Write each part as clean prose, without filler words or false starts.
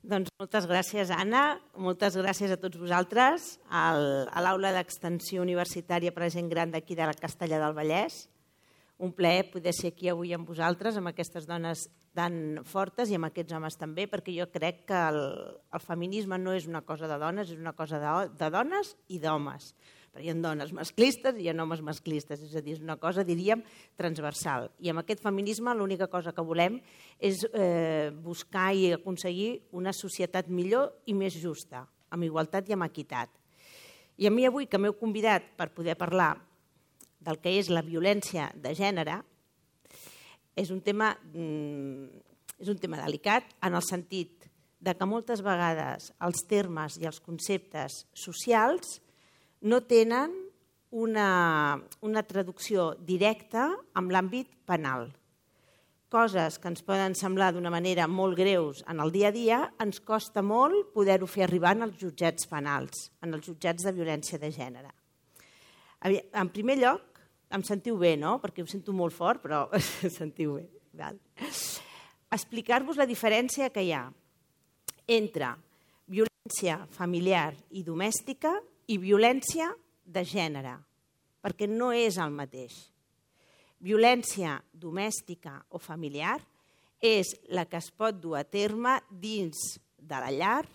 Doncs moltes gràcies, Anna. Moltes gràcies a tots vosaltres, a l'Aula d'Extensió Universitària per a gent gran d'aquí de la Castellar del Vallès. Un plaer poder ser aquí avui amb vosaltres, amb aquestes dones tan fortes i amb aquests homes també, perquè jo crec que el feminisme no és una cosa de dones, és una cosa de dones i d'homes. Però hi ha dones masclistes i hi ha homes masclistes, és a dir, és una cosa, diríem, transversal. I amb aquest feminisme l'única cosa que volem és buscar i aconseguir una societat millor i més justa, amb igualtat i amb equitat. I a mi avui, que m'heu convidat per poder parlar del que és la violència de gènere, és un tema delicat en el sentit de que moltes vegades els termes i els conceptes socials no tenen una traducció directa amb l'àmbit penal. Coses que ens poden semblar d'una manera molt greus en el dia a dia, ens costa molt poder-ho fer arribar als jutjats penals, en els jutjats de violència de gènere. En primer lloc, em sentiu bé, no? Perquè ho sento molt fort, però sentiu bé. Explicar-vos la diferència que hi ha entre violència familiar i domèstica i violència de gènere, perquè no és el mateix. Violència domèstica o familiar és la que es pot dur a terme dins de la llar,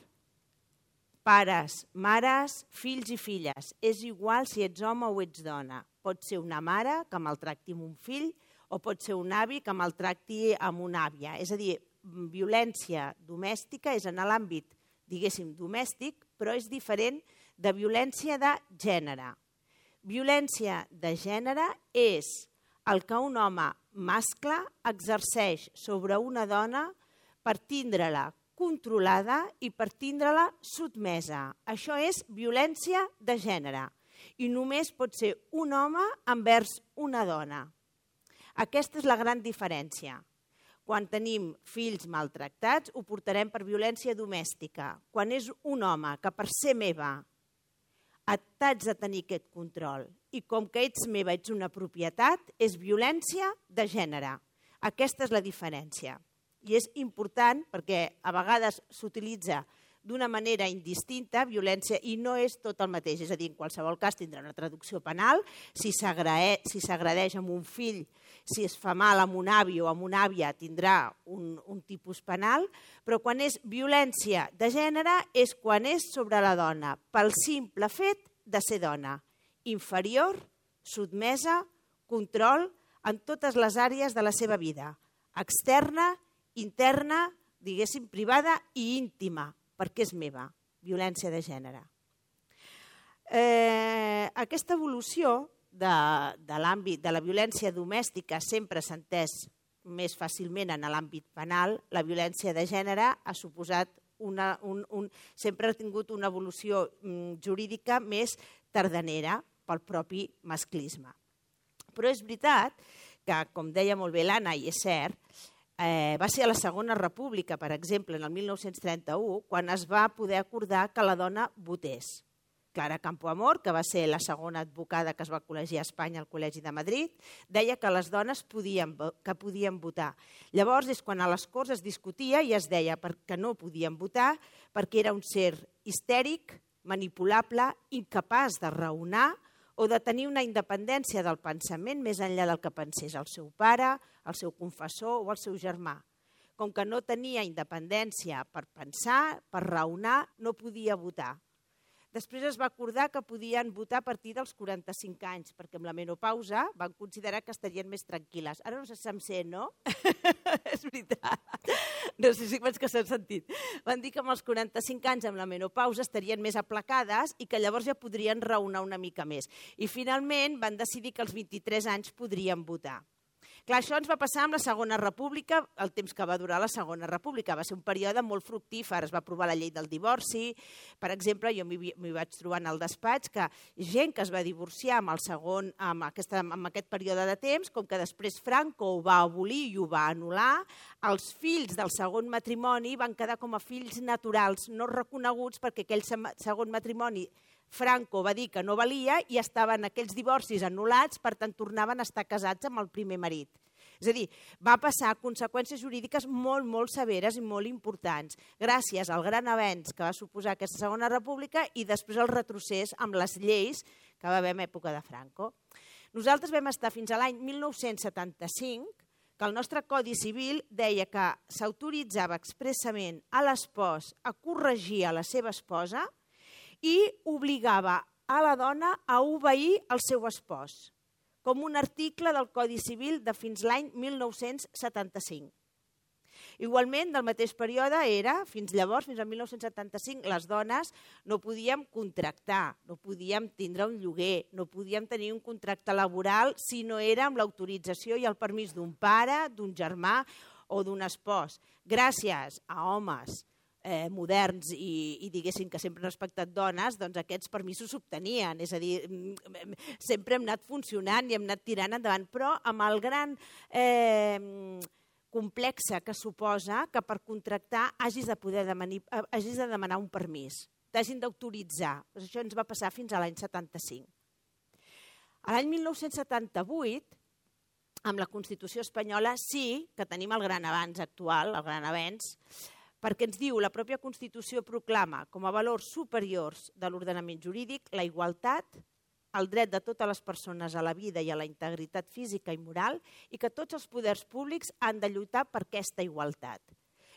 pares, mares, fills i filles. És igual si ets home o ets dona. Pot ser una mare que maltracti amb un fill o pot ser un avi que maltracti amb una àvia. És a dir, violència domèstica és en l'àmbit, diguéssim, domèstic, però és diferent de violència de gènere. Violència de gènere és el que un home mascle exerceix sobre una dona per tindre-la controlada i per tindre-la sotmesa. Això és violència de gènere i només pot ser un home envers una dona. Aquesta és la gran diferència. Quan tenim fills maltractats ho portarem per violència domèstica. Quan és un home que per ser meva t'haig de tenir aquest control i com que ets meva, ets una propietat, és violència de gènere. Aquesta és la diferència. I és important perquè a vegades s'utilitza d'una manera indistinta, violència, i no és tot el mateix. És a dir, en qualsevol cas tindrà una traducció penal, si s'agredeix amb un fill, si es fa mal amb un avi o amb una àvia, tindrà un tipus penal, però quan és violència de gènere és quan és sobre la dona, pel simple fet de ser dona, inferior, sotmesa, control en totes les àrees de la seva vida, externa, interna, diguéssim, privada i íntima, perquè és meva, violència de gènere. Aquesta evolució de l'àmbit de la violència domèstica sempre s'ha entès més fàcilment en l'àmbit penal. La violència de gènere ha suposat sempre ha tingut una evolució jurídica més tardanera pel propi masclisme. Però és veritat que, com deia molt bé l'Anna, i és cert, va ser a la Segona República, per exemple, en el 1931, quan es va poder acordar que la dona votés. Clara Campoamor, que va ser la segona advocada que es va col·legiar a Espanya al Col·legi de Madrid, deia que les dones podien votar. Llavors és quan a les Corts es discutia i es deia que no podien votar perquè era un ser histèric, manipulable, incapaç de raonar o de tenir una independència del pensament més enllà del que pensés el seu pare, el seu confessor o el seu germà. Com que no tenia independència per pensar, per raonar, no podia votar. Després es va acordar que podien votar a partir dels 45 anys, perquè amb la menopausa van considerar que estarien més tranquil·les. Ara no sé si em sent, no? És veritat. No sé si veig que s'ha sentit. Van dir que amb els 45 anys amb la menopausa estarien més aplacades i que llavors ja podrien raonar una mica més. I finalment van decidir que als 23 anys podrien votar. Clar, això ens va passar amb la Segona República, el temps que va durar la Segona República. Va ser un període molt fructífer, es va aprovar la llei del divorci. Per exemple, jo m'hi vaig trobar en el despatx que gent que es va divorciar amb aquest període de temps, com que després Franco ho va abolir i ho va anul·lar, els fills del segon matrimoni van quedar com a fills naturals, no reconeguts perquè aquell segon matrimoni Franco va dir que no valia i estaven aquells divorcis anul·lats, per tant tornaven a estar casats amb el primer marit. És a dir, va passar conseqüències jurídiques molt, molt severes i molt importants, gràcies al gran avenç que va suposar aquesta Segona República i després el retrocés amb les lleis que va haver en època de Franco. Nosaltres vam estar fins a l'any 1975, que el nostre Codi Civil deia que s'autoritzava expressament a l'espòs a corregir a la seva esposa i obligava a la dona a obeir el seu espòs, com un article del Codi Civil de fins l'any 1975. Igualment, del mateix període era, fins llavors, fins al 1975, les dones no podíem contractar, no podíem tindre un lloguer, no podíem tenir un contracte laboral si no era amb l'autorització i el permís d'un pare, d'un germà o d'un espòs. Gràcies a homes moderns i diguéssim que sempre han respectat dones, doncs aquests permisos s'obtenien, és a dir, sempre hem anat funcionant i hem anat tirant endavant, però amb el gran complexe que suposa que per contractar hagis de demanar un permís, t'hagin d'autoritzar. Això ens va passar fins a l'any 75. A l'any 1978, amb la Constitució espanyola, sí que tenim el gran avanç actual, el gran avenç, perquè ens diu la pròpia Constitució proclama com a valors superiors de l'ordenament jurídic la igualtat, el dret de totes les persones a la vida i a la integritat física i moral i que tots els poders públics han de lluitar per aquesta igualtat.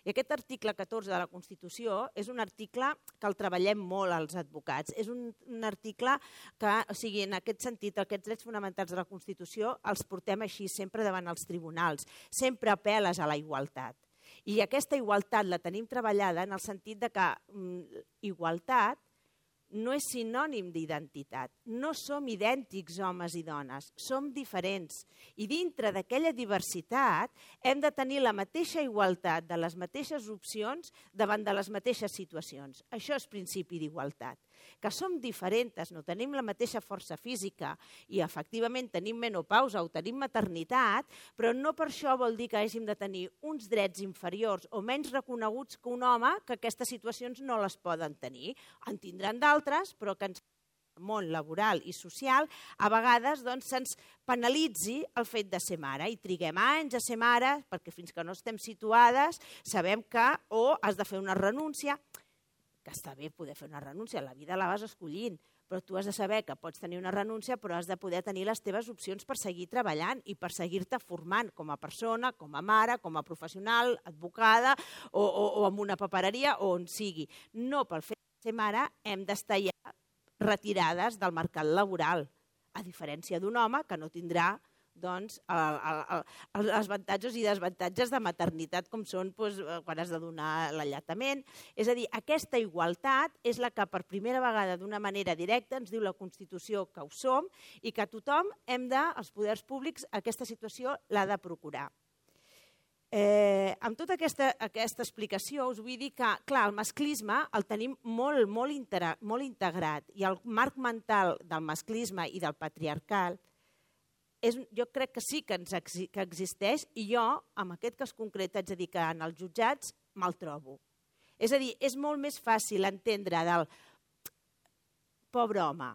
I aquest article 14 de la Constitució és un article que el treballem molt als advocats. És un article que, o sigui, en aquest sentit, aquests drets fonamentals de la Constitució els portem així sempre davant els tribunals. Sempre apel·les a la igualtat. I aquesta igualtat la tenim treballada en el sentit de que igualtat no és sinònim d'identitat. No som idèntics homes i dones, som diferents. I dintre d'aquella diversitat hem de tenir la mateixa igualtat de les mateixes opcions davant de les mateixes situacions. Això és principi d'igualtat. Que som diferents, no tenim la mateixa força física i efectivament tenim menopausa o tenim maternitat, però no per això vol dir que hàgim de tenir uns drets inferiors o menys reconeguts que un home que aquestes situacions no les poden tenir. En tindran d'altres, però que ens món laboral i social, a vegades se'ns penalitzi el fet de ser mare i triguem anys a ser mare perquè fins que no estem situades sabem que o has de fer una renúncia, que està bé poder fer una renúncia, la vida la vas escollint, però tu has de saber que pots tenir una renúncia però has de poder tenir les teves opcions per seguir treballant i per seguir-te formant com a persona, com a mare, com a professional, advocada o en una papereria o on sigui. No pel fet de ser mare hem d'estar ja retirades del mercat laboral, a diferència d'un home que no tindrà els avantatges i desavantatges de maternitat com són quan has de donar l'alletament. És a dir, aquesta igualtat és la que per primera vegada d'una manera directa ens diu la Constitució que ho som i que tothom els poders públics, aquesta situació l'ha de procurar. Amb tota aquesta explicació us vull dir que, clar, el masclisme el tenim molt integrat i el marc mental del masclisme i del patriarcal jo crec que sí que existeix i jo, en aquest cas concret, haig de dir que en els jutjats me'l trobo. És a dir, és molt més fàcil entendre del pobre home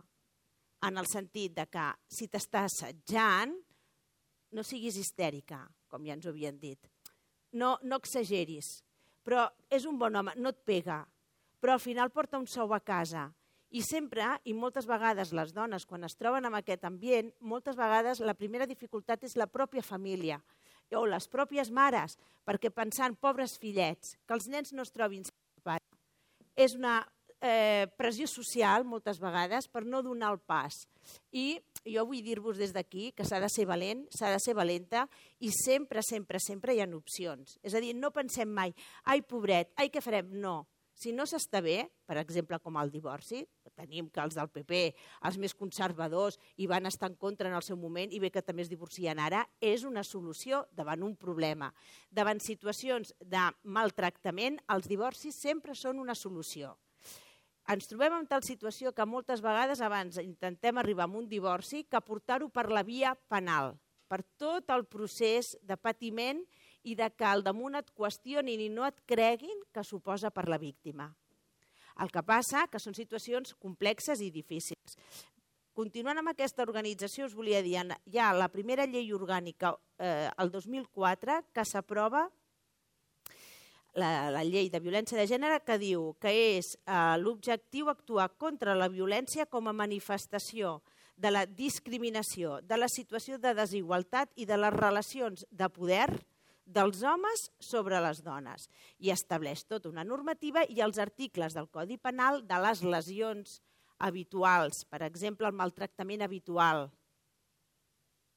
en el sentit de que si t'està assetjant no siguis histèrica, com ja ens ho havien dit. No exageris, però és un bon home, no et pega, però al final porta un sou a casa. I sempre, i moltes vegades les dones, quan es troben en aquest ambient, moltes vegades la primera dificultat és la pròpia família o les pròpies mares, perquè pensant, pobres fillets, que els nens no es trobin sense pare, és una pressió social, moltes vegades, per no donar el pas. I jo vull dir-vos des d'aquí que s'ha de ser valent, s'ha de ser valenta i sempre hi ha opcions. És a dir, no pensem mai, ai, pobret, ai, què farem? No. Si no s'està bé, per exemple, com el divorci, tenim que els del PP, els més conservadors, hi van estar en contra en el seu moment i bé que també es divorcien ara, és una solució davant un problema. Davant situacions de maltractament, els divorcis sempre són una solució. Ens trobem en tal situació que moltes vegades abans intentem arribar a un divorci que portar-ho per la via penal, per tot el procés de patiment i de que al damunt et qüestionin i no et creguin que suposa per la víctima. El que passa que són situacions complexes i difícils. continuant amb aquesta organització, us volia dir, hi ha la primera llei orgànica el 2004 que s'aprova, la llei de violència de gènere, que diu que és l'objectiu actuar contra la violència com a manifestació de la discriminació, de la situació de desigualtat i de les relacions de poder dels homes sobre les dones. I estableix tota una normativa i els articles del Codi Penal de les lesions habituals, per exemple, el maltractament habitual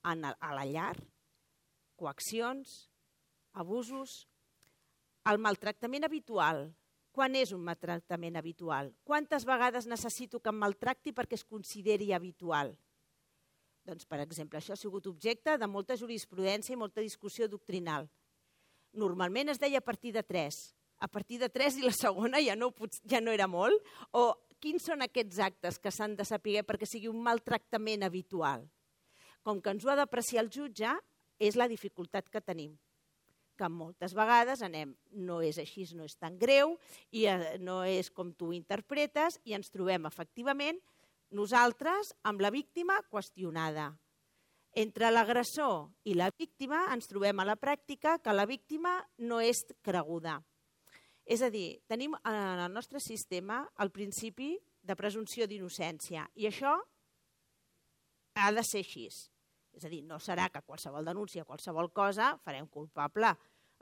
a la llar, coaccions, abusos. El maltractament habitual. Quan és un maltractament habitual? Quantes vegades necessito que em maltracti perquè es consideri habitual? Doncs, per exemple, això ha sigut objecte de molta jurisprudència i molta discussió doctrinal. Normalment es deia a partir de 3. A partir de 3 i la segona ja no era molt. O quins són aquests actes que s'han de saber perquè sigui un maltractament habitual? Com que ens ho ha d'apreciar el jutge, és la dificultat que tenim. Que moltes vegades no és així, no és tan greu, i no és com tu interpretes, i ens trobem efectivament nosaltres amb la víctima qüestionada. Entre l'agressor i la víctima ens trobem a la pràctica que la víctima no és creguda. És a dir, tenim en el nostre sistema el principi de presumpció d'innocència, i això ha de ser així. És a dir, no serà que qualsevol denúncia, qualsevol cosa, farem culpable.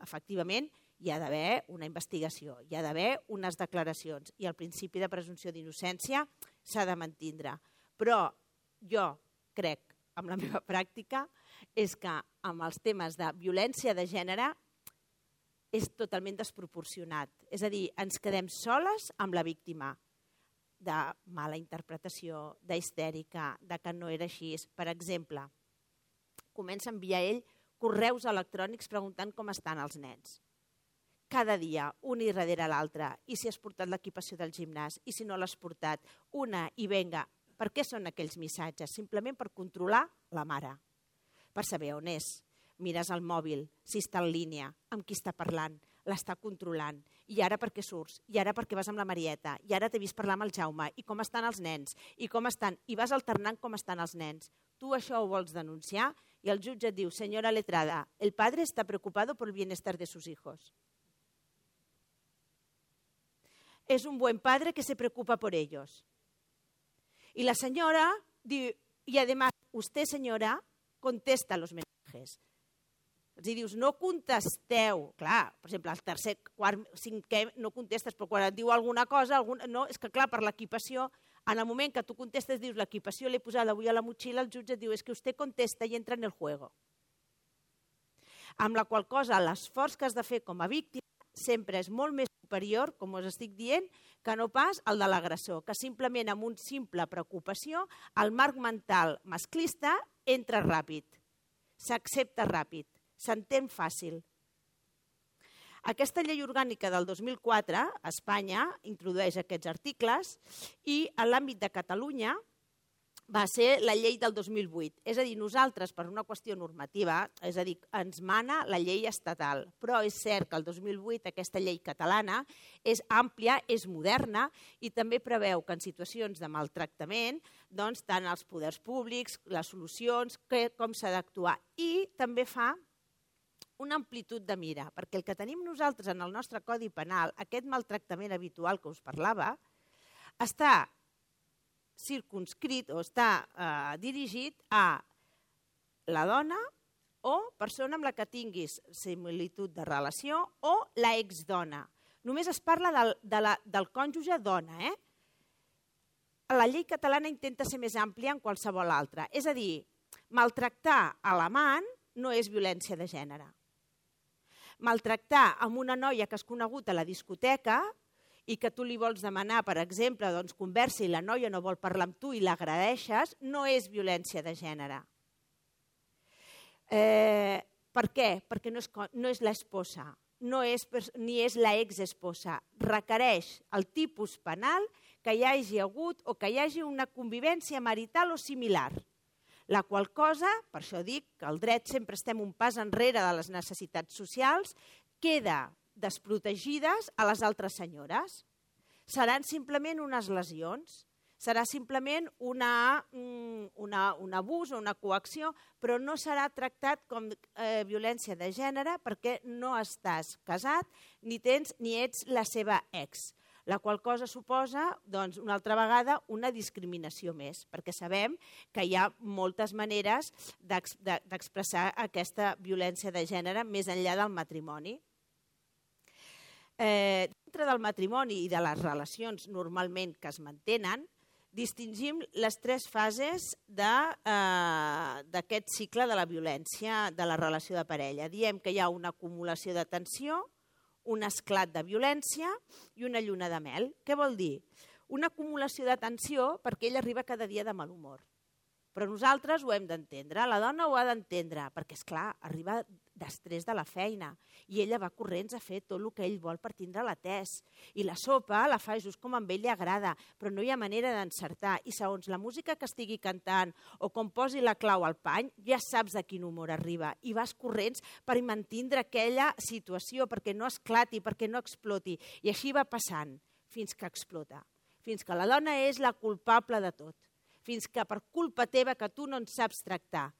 Efectivament, hi ha d'haver una investigació, hi ha d'haver unes declaracions i el principi de presumpció d'innocència s'ha de mantindre. Però jo crec, amb la meva pràctica, és que amb els temes de violència de gènere és totalment desproporcionat. És a dir, ens quedem soles amb la víctima de mala interpretació, d'histèrica, de que no era així. Per exemple, comença a enviar ell correus electrònics preguntant com estan els nens. Cada dia, un i darrere l'altre, i si has portat l'equipació del gimnàs, i si no l'has portat, una i venga. Per què són aquells missatges? Simplement per controlar la mare, per saber on és. Mires el mòbil, si està en línia, amb qui està parlant, l'està controlant. I ara per què surts? I ara per què vas amb la Marieta? I ara t'he vist parlar amb el Jaume. I com estan els nens? I com estan? I vas alternant com estan els nens. Tu això ho vols denunciar i el jutge et diu, señora letrada, el padre está preocupado por el bienestar de sus hijos. Es un buen padre que se preocupa por ellos. Y la señora diu, y además, usted, señora, contesta los mensajes. Els dius, no contesteu. Clar, per exemple, al tercer, quart, cinquè no contestes, però quan et diu alguna cosa, no, és que clar, per l'equipació, en el moment que tu contestes, dius, l'equipació l'he posada avui a la motxilla, el jutge diu, és que usted contesta i entra en el juego. Amb la qual cosa, l'esforç que has de fer com a víctima sempre és molt més superior, com us estic dient, que no pas el de l'agressor, que simplement amb una simple preocupació, el marc mental masclista entra ràpid, s'accepta ràpid, s'entén fàcil. Aquesta llei orgànica del 2004, a Espanya, introdueix aquests articles i en l'àmbit de Catalunya va ser la llei del 2008. És a dir, nosaltres, per una qüestió normativa, és a dir, ens mana la llei estatal, però és cert que el 2008 aquesta llei catalana és àmplia, és moderna i també preveu que en situacions de maltractament, doncs, tant els poders públics, les solucions, com s'ha d'actuar. I també fa una amplitud de mira, perquè el que tenim nosaltres en el nostre Codi Penal, aquest maltractament habitual que us parlava, està circunscrit o està dirigit a la dona o persona amb la que tinguis similitud de relació o la exdona. Només es parla del cònjuge dona. La llei catalana intenta ser més àmplia en qualsevol altra. És a dir, maltractar a l'amant no és violència de gènere. Maltractar amb una noia que has conegut a la discoteca i que tu li vols demanar, per exemple, conversa i la noia no vol parlar amb tu i l'agradeixes, no és violència de gènere. Per què? Perquè no és l'esposa, ni és la exesposa. Requereix el tipus penal que hi hagi hagut o que hi hagi una convivència marital o similar. La qual cosa, per això dic que el dret sempre estem un pas enrere de les necessitats socials, queda desprotegides a les altres senyores. Seran simplement unes lesions, Serà simplement un abús o una coacció, però no serà tractat com violència de gènere perquè no estàs casat ni ets la seva ex, la qual cosa suposa, doncs, una altra vegada, una discriminació més, perquè sabem que hi ha moltes maneres d'expressar aquesta violència de gènere més enllà del matrimoni. Dintre del matrimoni i de les relacions normalment que es mantenen, distingim les 3 fases d'aquest cicle de la violència de la relació de parella. Diem que hi ha una acumulació de tensió, un esclat de violència i una lluna de mel. Què vol dir? Una acumulació de tensió perquè ell arriba cada dia de mal humor. Però nosaltres ho hem d'entendre, la dona ho ha d'entendre, perquè, esclar, arriba d'estrès de la feina i ella va corrents a fer tot el que ell vol per tindre-la atès. I la sopa la fa just com a ell li agrada, però no hi ha manera d'encertar. I segons la música que estigui cantant o com posi la clau al pany, ja saps de quin humor arriba. I vas corrents per mantindre aquella situació, perquè no esclati, perquè no exploti. I així va passant fins que explota. Fins que la dona és la culpable de tot. Fins que per culpa teva que tu no en saps tractar.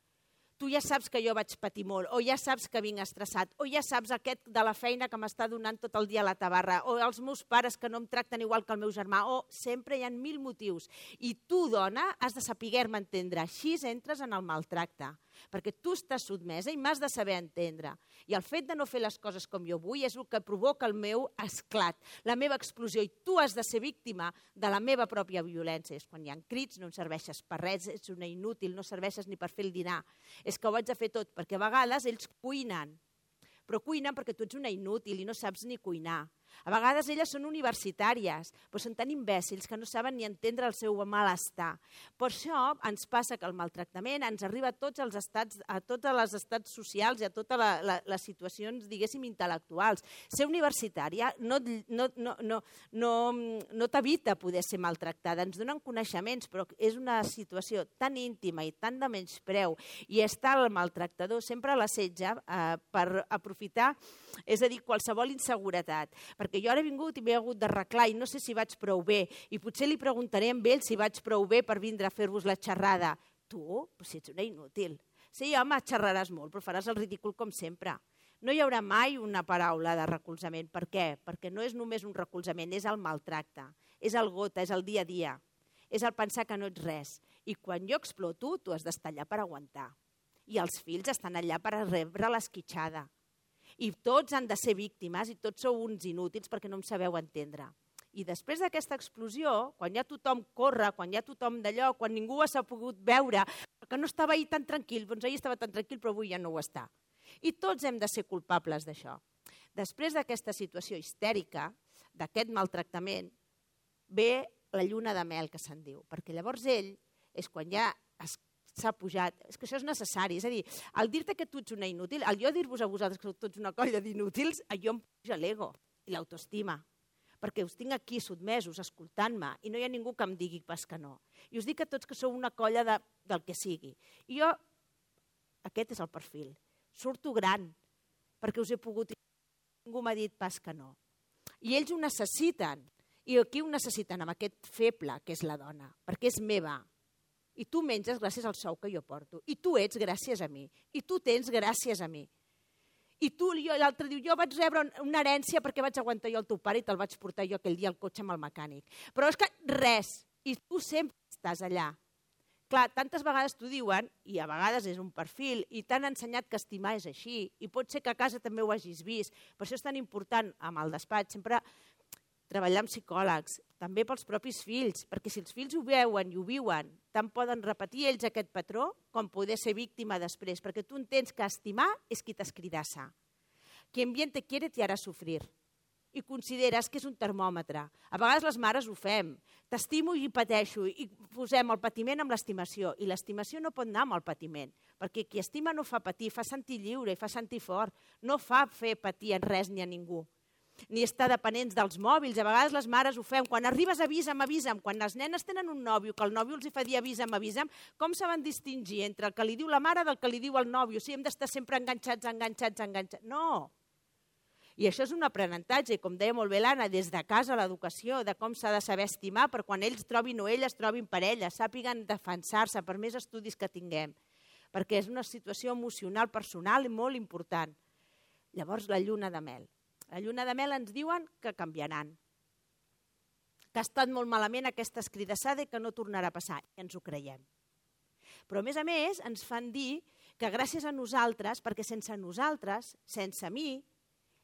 Tu ja saps que jo vaig patir molt, o ja saps que vinc estressat, o ja saps aquest de la feina que m'està donant tot el dia a la tabarra, o els meus pares que no em tracten igual que el meu germà, o sempre hi ha 1000 motius. I tu, dona, has de saber-me entendre. Així entres en el maltracte, perquè tu estàs sotmesa i m'has de saber entendre. I el fet de no fer les coses com jo vull és el que provoca el meu esclat, la meva explosió, i tu has de ser víctima de la meva pròpia violència. És quan hi ha crits, no em serveixes per res, ets una inútil, no serveixes ni per fer el dinar. És que ho haig de fer tot, perquè a vegades ells cuinen, però cuinen perquè tu ets una inútil i no saps ni cuinar. A vegades elles són universitàries, però són tan imbècils que no saben ni entendre el seu malestar. Per això ens passa que el maltractament ens arriba a tots els estats, a tots els estats socials i a totes les situacions, diguéssim, intel·lectuals. Ser universitària no t'evita poder ser maltractada. Ens donen coneixements, però és una situació tan íntima i tan de menyspreu, i està el maltractador sempre a l'assetge per aprofitar, és a dir, qualsevol inseguretat. Perquè jo ara he vingut i m'he hagut d'arreglar i no sé si vaig prou bé, i potser li preguntaré a ell si vaig prou bé per vindre a fer-vos la xerrada. Tu, si ets una inútil. Sí, home, xerraràs molt, però faràs el ridícul com sempre. No hi haurà mai una paraula de recolzament. Per què? Perquè no és només un recolzament, és el maltracte, és el gota, és el dia a dia, és el pensar que no ets res. I quan jo exploto, tu has d'estar allà per aguantar. I els fills estan allà per rebre l'esquitxada. I tots han de ser víctimes i tots sou uns inútils perquè no em sabeu entendre. I després d'aquesta explosió, quan ja tothom corre, quan ja tothom d'allò, quan ningú s'ha pogut veure, que no estava ahir tan tranquil, doncs ahir estava tan tranquil però avui ja no ho està. I tots hem de ser culpables d'això. Després d'aquesta situació histèrica, d'aquest maltractament, ve la lluna de mel, que se'n diu, perquè llavors ell és quan ja s'ha pujat, és que això és necessari, és a dir, al dir-te que tu ets una inútil, al jo dir-vos a vosaltres que sou tots una colla d'inútils, jo em puja l'ego i l'autoestima, perquè us tinc aquí sotmesos, escoltant-me, i no hi ha ningú que em digui pas que no. I us dic a tots que sou una colla del que sigui. I jo, aquest és el perfil, surto gran, perquè us he pogut, ningú m'ha dit pas que no. I ells ho necessiten, i aquí ho necessiten amb aquest feble que és la dona, perquè és meva. I tu menges gràcies al sou que jo porto. I tu ets gràcies a mi. I tu tens gràcies a mi. I tu, l'altre diu, jo vaig rebre una herència perquè vaig aguantar jo el teu pare i te'l vaig portar jo aquell dia al cotxe amb el mecànic. Però és que res. I tu sempre estàs allà. Clar, tantes vegades t'ho diuen, i a vegades és un perfil, i t'han ensenyat que estimar és així. I pot ser que a casa també ho hagis vist. Per això és tan important, amb el despatx, sempre treballar amb psicòlegs, també pels propis fills, perquè si els fills ho veuen i ho viuen, tant poden repetir ells aquest patró com poder ser víctima després, perquè tu entens que estimar és qui t'escridassa. Quien bien te quiere te hará sufrir. I consideres que és un termòmetre. A vegades les mares ho fem. T'estimo i pateixo, i posem el patiment amb l'estimació, i l'estimació no pot anar amb el patiment, perquè qui estima no fa patir, fa sentir lliure i fa sentir fort, no fa fer patir en res ni a ningú. Ni estar dependents dels mòbils. A vegades les mares ho fem. Quan arribes, avisa'm, avisa'm. Quan les nenes tenen un nòvio, que el nòvio els fa dir avisa'm, avisa'm, com saben distingir entre el que li diu la mare del que li diu el nòvio? Si hem d'estar sempre enganxats. No. I això és un aprenentatge, com deia molt bé l'Anna, des de casa, l'educació, de com s'ha de saber estimar, per quan ells trobin o elles trobin parella, sàpiguen defensar-se per més estudis que tinguem, perquè és una situació emocional, personal i molt important. Llavors, la lluna de mel. La lluna de mel ens diuen que canviaran, que ha estat molt malament aquesta escridassada i que no tornarà a passar, i ens ho creiem. Però, a més, ens fan dir que gràcies a nosaltres, perquè sense nosaltres, sense mi,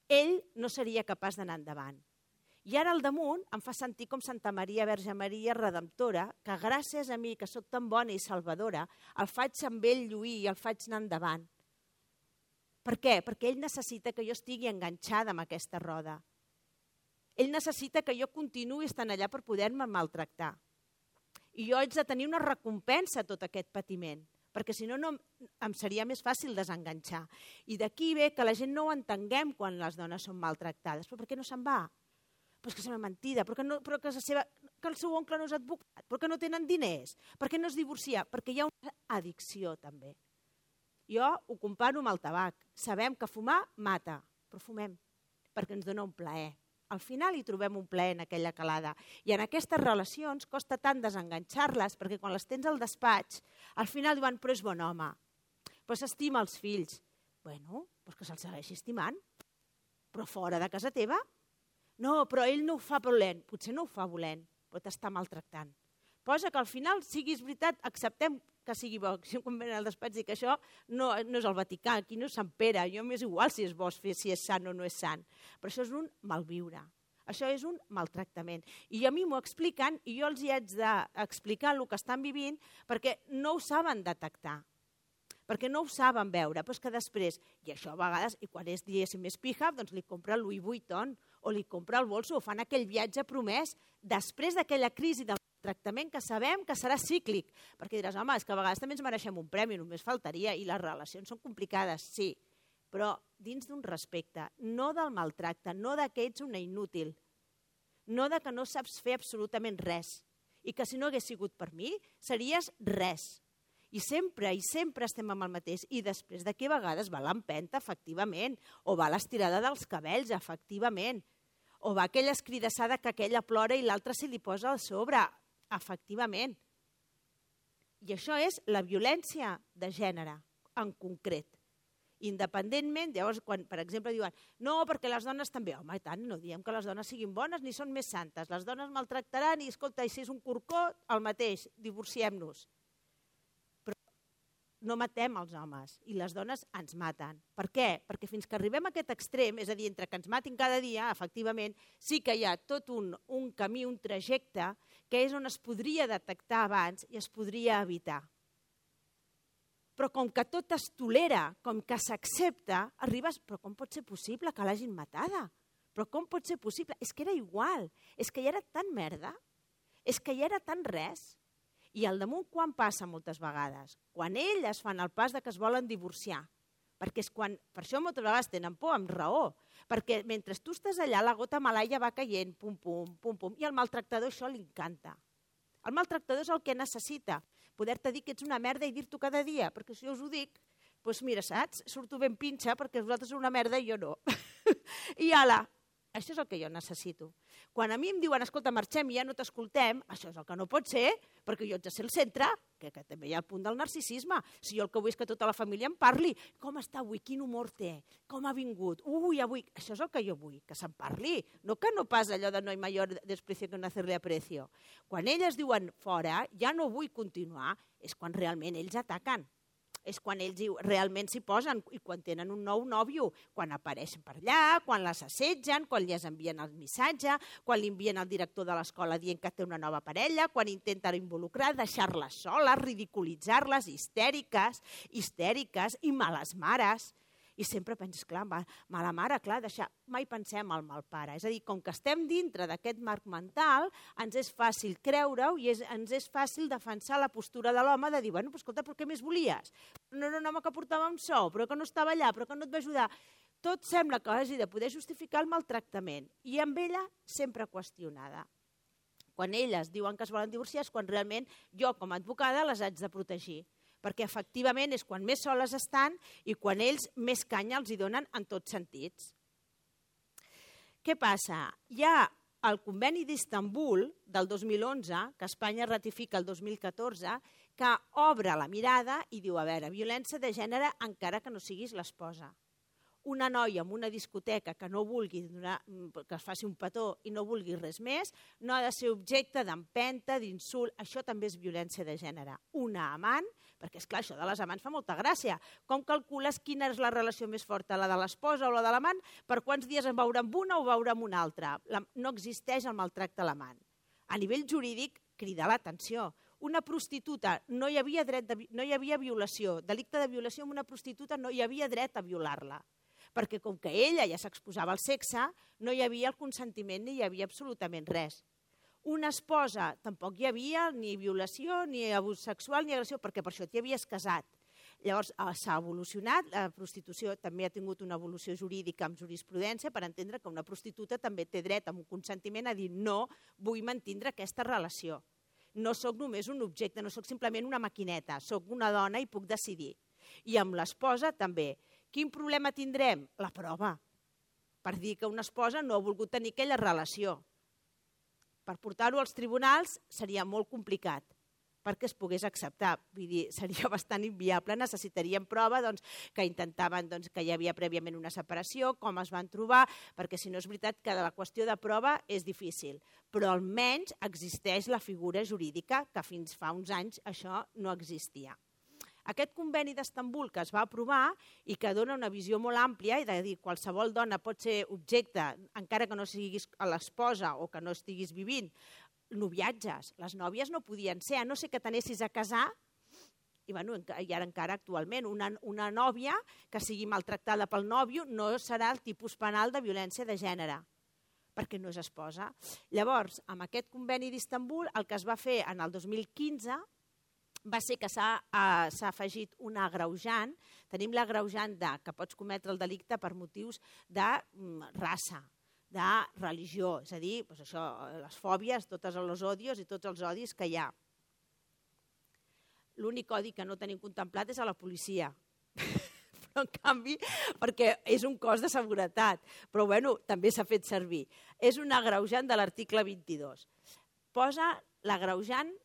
ell no seria capaç d'anar endavant. I ara al damunt em fa sentir com Santa Maria, Verge Maria, Redemptora, que gràcies a mi, que sóc tan bona i salvadora, el faig amb ell lluir i el faig anar endavant. Per què? Perquè ell necessita que jo estigui enganxada amb aquesta roda. Ell necessita que jo continuï estant allà per poder-me maltractar. I jo haig de tenir una recompensa a tot aquest patiment, perquè si no, em seria més fàcil desenganxar. I d'aquí ve que la gent no ho entenguem quan les dones són maltractades. Però per què no se'n va? Però és que sembla mentida, que el seu oncle no és advocat, perquè no tenen diners, perquè no es divorcia, perquè hi ha una addicció també. Jo ho comparo amb el tabac. Sabem que fumar mata, però fumem, perquè ens dona un plaer. Al final hi trobem un plaer en aquella calada. I en aquestes relacions costa tant desenganxar-les, perquè quan les tens al despatx, al final diuen, però és bon home, però s'estima els fills. Bueno, doncs que se'ls segueixi estimant. Però fora de casa teva? No, però ell no ho fa volent. Potser no ho fa volent, però t'està maltractant. Posa que al final, siguis veritat, acceptem que sigui bo. Quan ven al despatx dic que això no és el Vaticà, aquí no és Sant Pere, jo m'és igual si és bo, si és sant o no és sant. Però això és un malviure, això és un maltractament. I a mi m'ho expliquen i jo els hi haig d'explicar el que estan vivint perquè no ho saben detectar, perquè no ho saben veure. Però és que després, i això a vegades, i quan és diguéssim més pija, doncs li compra el Louis Vuitton o li compra el bolso o fan aquell viatge promès després d'aquella crisi del tractament que sabem que serà cíclic, perquè diràs, home, és que a vegades també ens mereixem un premi, només faltaria, i les relacions són complicades, sí, però dins d'un respecte, no del maltracte, no que ets una inútil, no que no saps fer absolutament res, i que si no hagués sigut per mi, series res. I sempre estem amb el mateix, i després d'aquí a vegades va l'empenta, efectivament, o va l'estirada dels cabells, efectivament, o va aquella escridassada que aquella plora i l'altra se li posa a sobre, efectivament. I això és la violència de gènere, en concret. Independentment, llavors, quan, per exemple, diuen no, perquè les dones també, home, i tant, no diem que les dones siguin bones ni són més santes, les dones maltractaran i, escolta, i si és un corcó, el mateix, divorciem-nos. Però no matem els homes i les dones ens maten. Per què? Perquè fins que arribem a aquest extrem, és a dir, entre que ens matin cada dia, efectivament, sí que hi ha tot un camí, un trajecte, que és on es podria detectar abans i es podria evitar. Però com que tot es tolera, com que s'accepta, arribes, però com pot ser possible que l'hagin matada? Però com pot ser possible? És que era igual, és que ja era tan merda, és que ja era tan res. I al damunt quan passa moltes vegades? Quan elles fan el pas de que es volen divorciar. Perquè és quan, per això moltes vegades tenen por, amb raó, perquè mentre tu estàs allà la gota malaia va caient, pum, pum, pum, pum, i al maltractador això li encanta. El maltractador és el que necessita, poder-te dir que ets una merda i dir-t'ho cada dia, perquè si jo us ho dic, doncs mira, saps, surto ben pinxa perquè vosaltres sou una merda i jo no. I ala, això és el que jo necessito. Quan a mi em diuen, escolta, marxem i ja no t'escoltem, això és el que no pot ser, perquè jo haig de ser el centre, que també hi ha el punt del narcisisme. Si jo el que vull és que tota la família em parli, com està avui, quin humor té, com ha vingut, avui, això és el que jo vull, que se'n parli, no que no pas allò de no hay mayor desprecio que no hacerle aprecio. Quan elles diuen fora, ja no vull continuar, és quan realment ells ataquen. És quan ells realment s'hi posen i quan tenen un nou nòvio, quan apareixen per allà, quan les assetgen, quan li envien el missatge, quan li envien el director de l'escola dient que té una nova parella, quan intenten involucrar, deixar-les soles, ridiculitzar-les, histèriques i males mares. I sempre penses, clar, mala mare, clar, mai pensem al mal pare. És a dir, com que estem dintre d'aquest marc mental, ens és fàcil creure-ho i ens és fàcil defensar la postura de l'home de dir, bueno, però escolta, però què més volies? No era un home que portava un sou, però que no estava allà, però que no et va ajudar. Tot sembla que hagi de poder justificar el maltractament. I amb ella sempre qüestionada. Quan elles diuen que es volen divorciar és quan realment jo, com a advocada, les haig de protegir. Perquè efectivament és quan més soles estan i quan ells més canya els hi donen en tots sentits. Què passa? Hi ha el Conveni d'Istanbul del 2011, que Espanya ratifica el 2014, que obre la mirada i diu, a veure, violència de gènere encara que no siguis l'esposa. Una noia en una discoteca que no vulgui que es faci un petó i no vulgui res més, no ha de ser objecte d'empenta, d'insult. Això també és violència de gènere. Una amant, perquè és clar, això de les amants fa molta gràcia. Com calcules quina és la relació més forta, la de l'esposa o la de l'amant? Per quants dies en veure amb una o veure amb una altra? No existeix el maltracte a l'amant. A nivell jurídic, crida l'atenció. Una prostituta, no hi havia violació, delicte de violació amb una prostituta no hi havia dret a violar-la. Perquè com que ella ja s'exposava al sexe, no hi havia el consentiment ni hi havia absolutament res. Una esposa, tampoc hi havia ni violació, ni abús sexual, ni agressió, perquè per això t'hi havies casat. Llavors s'ha evolucionat, la prostitució també ha tingut una evolució jurídica amb jurisprudència per entendre que una prostituta també té dret amb un consentiment a dir no, vull mantindre aquesta relació. No sóc només un objecte, no sóc simplement una maquineta, sóc una dona i puc decidir. I amb l'esposa també. Quin problema tindrem? La prova. Per dir que una esposa no ha volgut tenir aquella relació. Per portar-ho als tribunals seria molt complicat perquè es pogués acceptar. Vull dir, seria bastant inviable. Necessitaríem prova que intentaven que hi havia prèviament una separació, com es van trobar, perquè si no és veritat que la qüestió de prova és difícil. Però almenys existeix la figura jurídica que fins fa uns anys això no existia. Aquest conveni d'Istanbul que es va aprovar i que dona una visió molt àmplia i de dir qualsevol dona pot ser objecte, encara que no siguis l'esposa o que no estiguis vivint, noviatges. Les nòvies no podien ser, a no ser que t'anessis a casar, i ara encara actualment una nòvia que sigui maltractada pel nòvio no serà el tipus penal de violència de gènere, perquè no és esposa. Llavors, amb aquest conveni d'Istanbul, el que es va fer en el 2015 va ser que s'ha afegit un agreujant. Tenim l'agreujant que pots cometre el delicte per motius de raça, de religió, és a dir, les fòbies, tots els odios i tots els odis que hi ha. L'únic odi que no tenim contemplat és a la policia. Però, en canvi, perquè és un cos de seguretat, però bueno, també s'ha fet servir. És un agreujant de l'article 22. Posa l'agreujant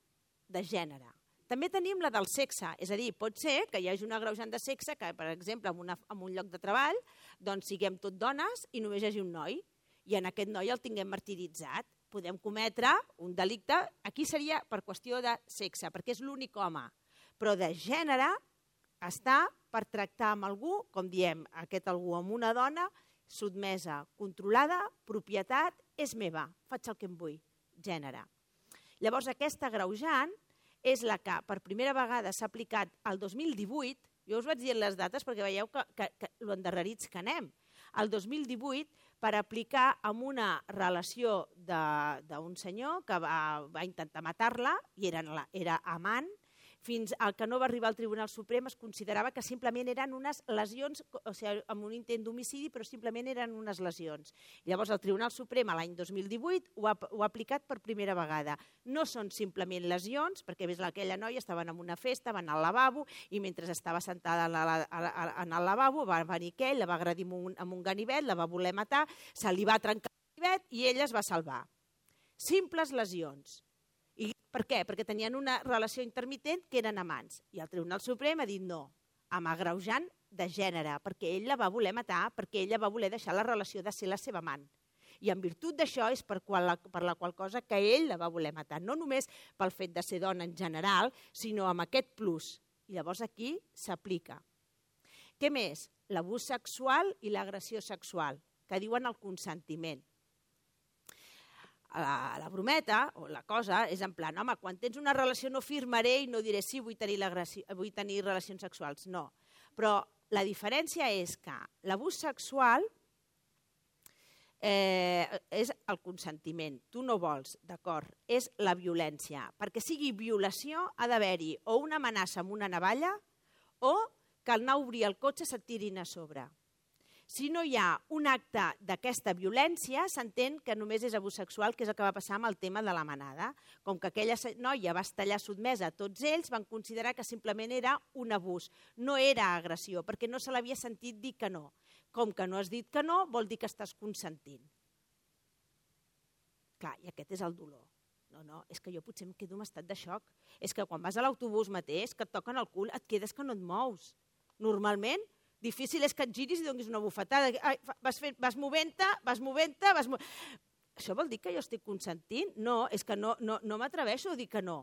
de gènere. També tenim la del sexe, és a dir, pot ser que hi hagi un agreujant de sexe que, per exemple, en un lloc de treball, doncs siguem tot dones i només hi hagi un noi, i en aquest noi el tinguem martiritzat. Podem cometre un delicte, aquí seria per qüestió de sexe, perquè és l'únic home, però de gènere està per tractar amb algú, com diem, aquest algú amb una dona, sotmesa, controlada, propietat, és meva, faig el que em vull, gènere. Llavors, aquesta agreujant és la que per primera vegada s'ha aplicat el 2018, jo us vaig dir les dates perquè veieu que lo endarrerits que anem, el 2018 per aplicar amb una relació d'un senyor que va intentar matar-la i era amant, fins al que no va arribar al Tribunal Suprem es considerava que simplement eren unes lesions, o sigui, amb un intent d'homicidi, però simplement eren unes lesions. Llavors el Tribunal Suprem l'any 2018 ho ha aplicat per primera vegada. No són simplement lesions, perquè ves aquella noia, estaven en una festa, van al lavabo i mentre estava sentada en el lavabo va venir aquell, la va agredir amb un ganivet, la va voler matar, se li va trencar el ganivet i ella es va salvar. Simples lesions. I per què? Perquè tenien una relació intermitent que eren amants. I el Tribunal Suprem ha dit no, amb agreujant de gènere, perquè ell la va voler matar, perquè ella va voler deixar la relació de ser la seva amant. I en virtut d'això és per la qual cosa que ell la va voler matar. No només pel fet de ser dona en general, sinó amb aquest plus. I llavors aquí s'aplica. Què més? L'abús sexual i l'agressió sexual, que diuen el consentiment. La brometa o la cosa és en plan, home, quan tens una relació no firmaré i no diré sí, vull tenir relacions sexuals. No, però la diferència és que l'abús sexual és el consentiment. Tu no vols, d'acord, és la violència. Perquè sigui violació ha d'haver-hi o una amenaça amb una navalla o que al anar a obrir el cotxe se't tirin a sobre. Si no hi ha un acte d'aquesta violència, s'entén que només és abús sexual, que és el que va passar amb el tema de la manada. Com que aquella noia va estar sotmesa a tots ells, van considerar que simplement era un abús, no era agressió, perquè no se l'havia sentit dir que no. Com que no has dit que no, vol dir que estàs consentint. Clar, i aquest és el dolor. No, és que jo potser em quedo en estat de xoc. És que quan vas a l'autobús mateix, que et toquen el cul, et quedes que no et mous. Normalment, difícil és que et giris i donis una bufetada. Ai, vas movent-te. Això vol dir que jo estic consentint? No, és que no m'atreveixo a dir que no.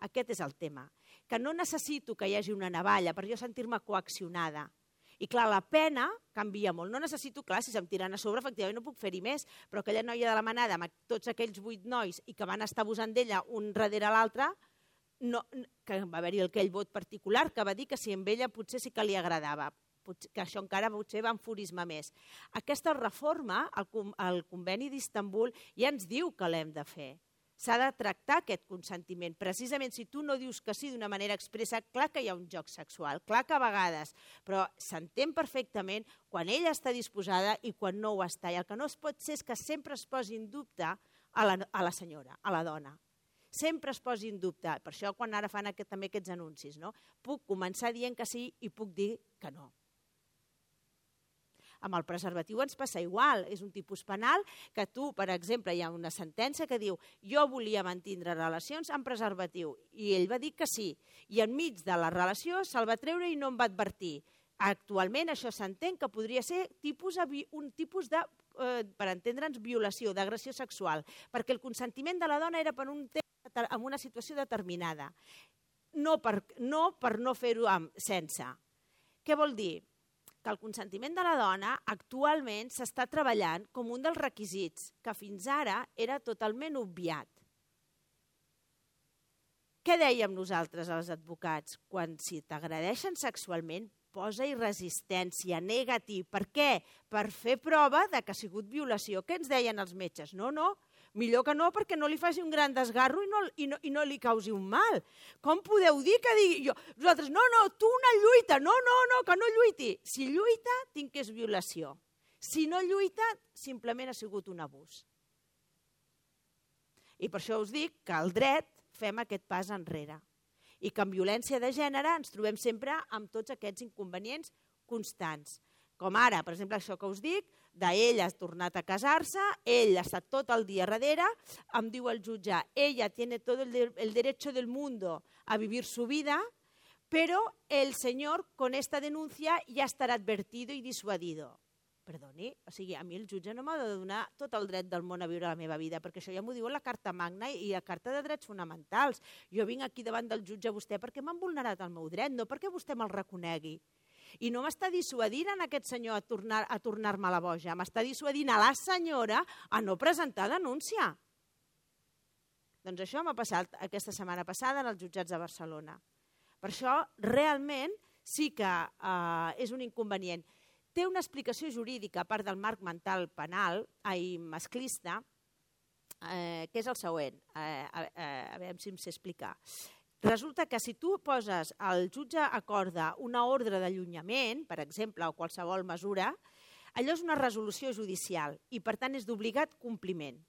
Aquest és el tema. Que no necessito que hi hagi una navalla per jo sentir-me coaccionada. I clar, la pena canvia molt. No necessito, clar, si se'm tiren a sobre, efectivament no puc fer-hi més, però aquella noia de la manada, amb tots aquells 8 nois i que van estar abusant d'ella un darrere l'altre, que va haver-hi aquell vot particular que va dir que si amb ella potser sí que li agradava, que això encara potser va enfurismar més. Aquesta reforma, el conveni d'Istanbul, ja ens diu que l'hem de fer. S'ha de tractar aquest consentiment. Precisament si tu no dius que sí d'una manera expressa, clar que hi ha un joc sexual, clar que a vegades, però s'entén perfectament quan ella està disposada i quan no ho està. I el que no es pot ser és que sempre es posi en dubte a la senyora, a la dona. Sempre es posi en dubte. Per això quan ara fan també aquests anuncis, no? Puc començar dient que sí i puc dir que no. Amb el preservatiu ens passa igual, és un tipus penal que tu, per exemple, hi ha una sentència que diu jo volia mantindre relacions amb preservatiu i ell va dir que sí i enmig de la relació se'l va treure i no em va advertir. Actualment això s'entén que podria ser un tipus de, per entendre'ns, violació, d'agressió sexual, perquè el consentiment de la dona era per un temps en una situació determinada, no per no fer-ho sense. Què vol dir? Que el consentiment de la dona actualment s'està treballant com un dels requisits que fins ara era totalment obviat. Què dèiem nosaltres als advocats? Quan si t'agredeixen sexualment, posa-hi resistència, nega-t'hi. Per què? Per fer prova de que ha sigut violació. Què ens deien els metges? No, millor que no, perquè no li faci un gran desgarro i no li causi un mal. Com podeu dir que digui jo? Vosaltres, no, tu una lluita, no, que no lluiti. Si lluita, tinc que és violació. Si no lluita, simplement ha sigut un abús. I per això us dic que al dret fem aquest pas enrere. I que en violència de gènere ens trobem sempre amb tots aquests inconvenients constants. Com ara, per exemple, això que us dic, d'ell ha tornat a casar-se, ell ha estat tot el dia darrere, em diu el jutge, ella tiene todo el derecho del mundo a vivir su vida, pero el señor con esta denuncia ya estará advertido y disuadido. Perdoni, o sigui, a mi el jutge no m'ha de donar tot el dret del món a viure la meva vida, perquè això ja m'ho diu la Carta Magna i la Carta de Drets Fonamentals. Jo vinc aquí davant del jutge a vostè perquè m'han vulnerat el meu dret, no perquè vostè me'l reconegui. I no m'està dissuadint en aquest senyor a tornar-me la boja, m'està dissuadint a la senyora a no presentar denúncia. Doncs això m'ha passat aquesta setmana passada en els jutjats de Barcelona. Per això, realment, sí que és un inconvenient. Té una explicació jurídica, a part del marc mental penal, masclista, que és el següent. A veure si em sé explicar. Resulta que si tu poses, el jutge acorda una ordre d'allunyament, per exemple, o qualsevol mesura, allò és una resolució judicial i, per tant, és d'obligat compliment.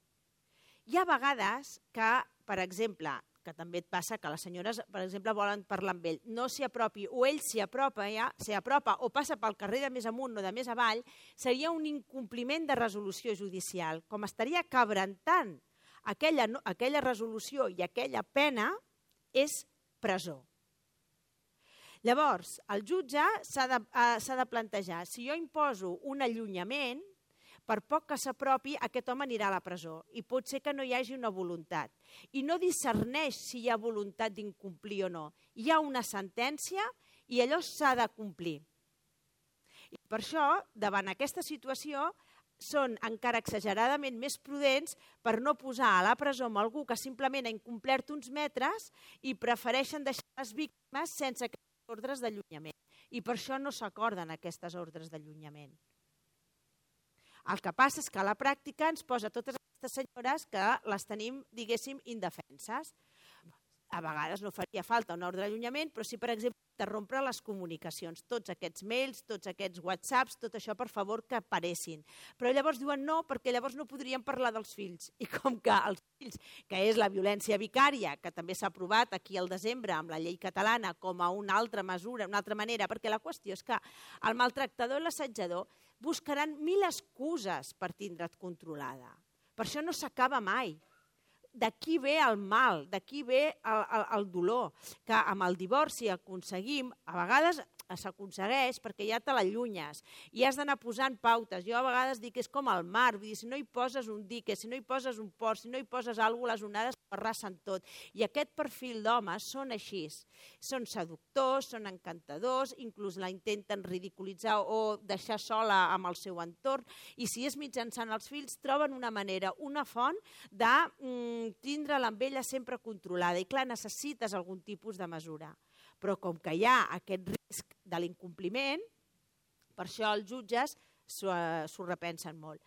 Hi ha vegades que, per exemple, que també et passa que les senyores, per exemple, volen parlar amb ell, no s'hi apropi, o ell s'hi apropa o passa pel carrer de més amunt o de més avall, seria un incompliment de resolució judicial. Com estaria cabrentant aquella resolució i aquella pena, és presó. Llavors, el jutge s'ha de plantejar, si jo imposo un allunyament, per poc que s'apropi, aquest home anirà a la presó i pot ser que no hi hagi una voluntat. I no discerneix si hi ha voluntat d'incomplir o no. Hi ha una sentència i allò s'ha de complir. I per això, davant aquesta situació, són encara exageradament més prudents per no posar a la presó amb algú que simplement ha incomplert uns metres i prefereixen deixar les víctimes sense aquestes ordres d'allunyament. I per això no s'acorden aquestes ordres d'allunyament. El que passa és que a la pràctica ens posa totes aquestes senyores que les tenim, diguéssim, indefenses. A vegades no faria falta un ordre d'allunyament, però sí, per exemple, interrompre les comunicacions, tots aquests mails, tots aquests whatsapps, tot això, per favor, que aparessin. Però llavors diuen no, perquè llavors no podríem parlar dels fills. I com que els fills, que és la violència vicària, que també s'ha aprovat aquí al desembre amb la llei catalana com a una altra mesura, una altra manera, perquè la qüestió és que el maltractador i l'assetjador buscaran 1000 excuses per tindre't controlada. Per això no s'acaba mai. D'aquí ve el mal, d'aquí ve el dolor, que amb el divorci aconseguim, a vegades s'aconsegueix perquè ja te l'allunyes i has d'anar posant pautes. Jo a vegades dic que és com el mar, vull dir, si no hi poses un dique, si no hi poses un port, si no hi poses alguna cosa, les onades arrasen tot. I aquest perfil d'homes són així. Són seductors, són encantadors, inclús la intenten ridiculitzar o deixar sola amb el seu entorn, i si és mitjançant els fills, troben una manera, una font de tindre-la amb ella sempre controlada. I clar, necessites algun tipus de mesura. Però com que hi ha aquest risc de l'incompliment, per això els jutges s'ho repensen molt.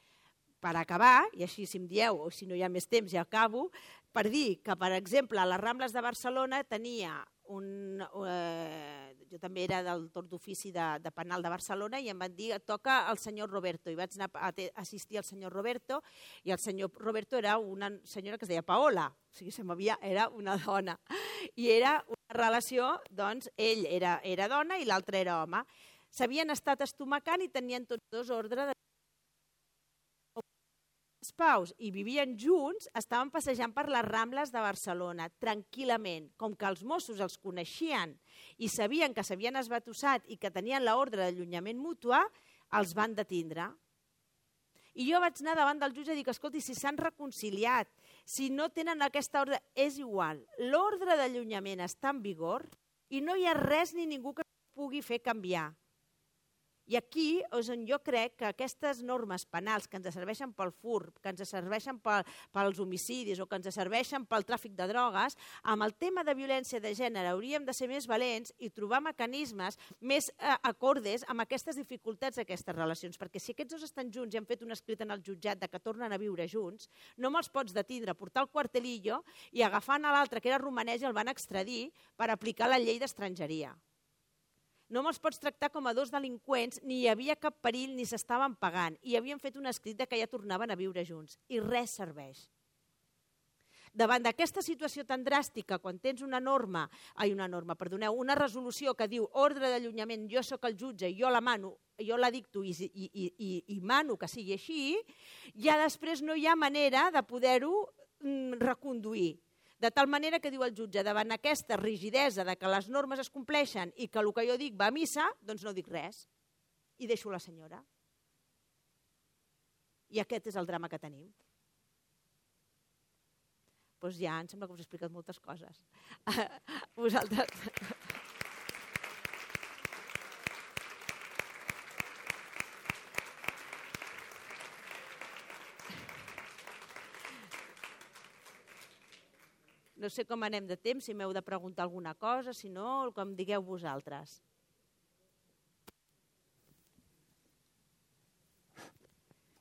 Per acabar, i així si em dieu, o si no hi ha més temps ja acabo, per dir que, per exemple, a les Rambles de Barcelona tenia jo també era del torn d'ofici de penal de Barcelona i em van dir toca el senyor Roberto, i vaig anar a assistir al senyor Roberto, i el senyor Roberto era una senyora que es deia Paola, o sigui, era una dona, i era una relació, doncs, ell era dona i l'altre era home. S'havien estat estomacant i tenien tots dos ordre de paus i vivien junts, estaven passejant per les Rambles de Barcelona, tranquil·lament. Com que els Mossos els coneixien i sabien que s'havien esbatussat i que tenien l'ordre d'allunyament mutu, els van detindre. I jo vaig anar davant del jutge i dic, escolti, si s'han reconciliat, si no tenen aquesta ordre, és igual. L'ordre d'allunyament està en vigor i no hi ha res ni ningú que pugui fer canviar. I aquí és on jo crec que aquestes normes penals que ens serveixen pel furt, que ens serveixen pels homicidis o que ens serveixen pel tràfic de drogues, amb el tema de violència de gènere hauríem de ser més valents i trobar mecanismes més acordes amb aquestes dificultats d'aquestes relacions, perquè si aquests dos estan junts i han fet un escrit en el jutjat de que tornen a viure junts, no me'ls pots detindre, portar el quartelillo i agafant a l'altre, que era romanès, i el van extradir per aplicar la llei d'estrangeria. No me'ls pots tractar com a dos delinqüents, ni hi havia cap perill ni s'estaven pagant, i havien fet un escrit que ja tornaven a viure junts, i res serveix. Davant d'aquesta situació tan dràstica, quan tens una resolució que diu ordre d'allunyament, jo sóc el jutge, jo la dicto i mano que sigui així, ja després no hi ha manera de poder-ho reconduir. De tal manera que diu el jutge, davant aquesta rigidesa de que les normes es compleixen i que el que jo dic va a missa, doncs no dic res i deixo la senyora. I aquest és el drama que tenim. Doncs ja, em sembla que us he explicat moltes coses. Vosaltres... No sé com anem de temps, si m'heu de preguntar alguna cosa, si no, com digueu vosaltres.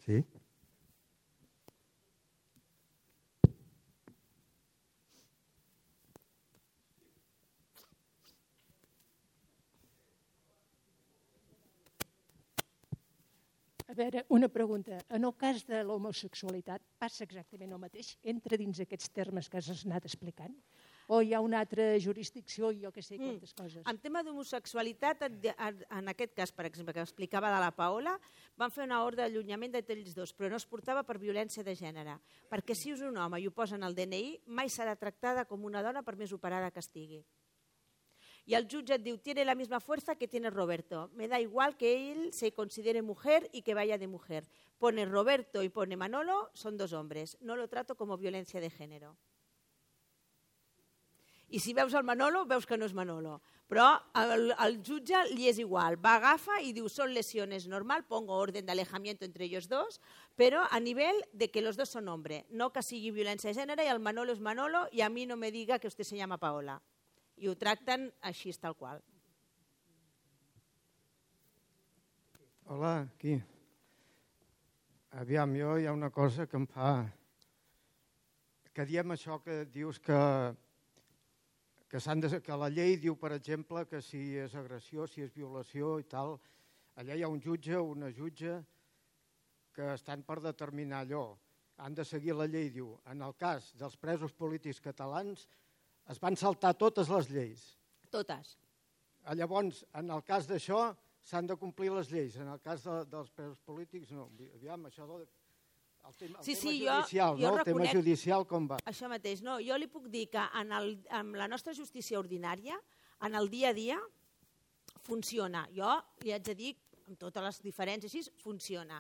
Sí? A veure, una pregunta. En el cas de l'homosexualitat passa exactament el mateix? Entra dins aquests termes que has anat explicant? O hi ha una altra jurisdicció i jo que sé quantes coses? En tema d'homosexualitat, en aquest cas, per exemple, que explicava de la Paola, van fer una ordre d'allunyament d'ells dos, però no es portava per violència de gènere. Perquè si és un home i ho posen al DNI, mai serà tractada com una dona per més operada que estigui. Y el jutge et diu, tiene la misma fuerza que tiene Roberto. Me da igual que él se considere mujer y que vaya de mujer. Pone Roberto y pone Manolo, son dos hombres. No lo trato como violencia de género. I si veus el Manolo, veus que no és Manolo. Però al jutge li és igual. Va, agafa i diu, son lesiones normal, pongo orden de alejamiento entre ellos dos, pero a nivel de que los dos son hombre. No que sigui violència de gènere i el Manolo és Manolo i a mi no me diga que usted se llama Paola. I ho tracten així, tal qual. Hola, aquí. Aviam, jo hi ha una cosa que em fa... Que diem això que dius que la llei diu, per exemple, que si és agressió, si és violació i tal, allà hi ha un jutge o una jutge que estan per determinar allò. Han de seguir la llei, diu. En el cas dels presos polítics catalans, es van saltar totes les lleis. Totes. Llavors, en el cas d'això, s'han de complir les lleis. En el cas dels presos polítics, no. Aviam, això Sí, judicial, jo el tema judicial com va? Això mateix, no? Jo li puc dir que en la nostra justícia ordinària, en el dia a dia, funciona. Jo li haig de dir, amb totes les diferències així, funciona.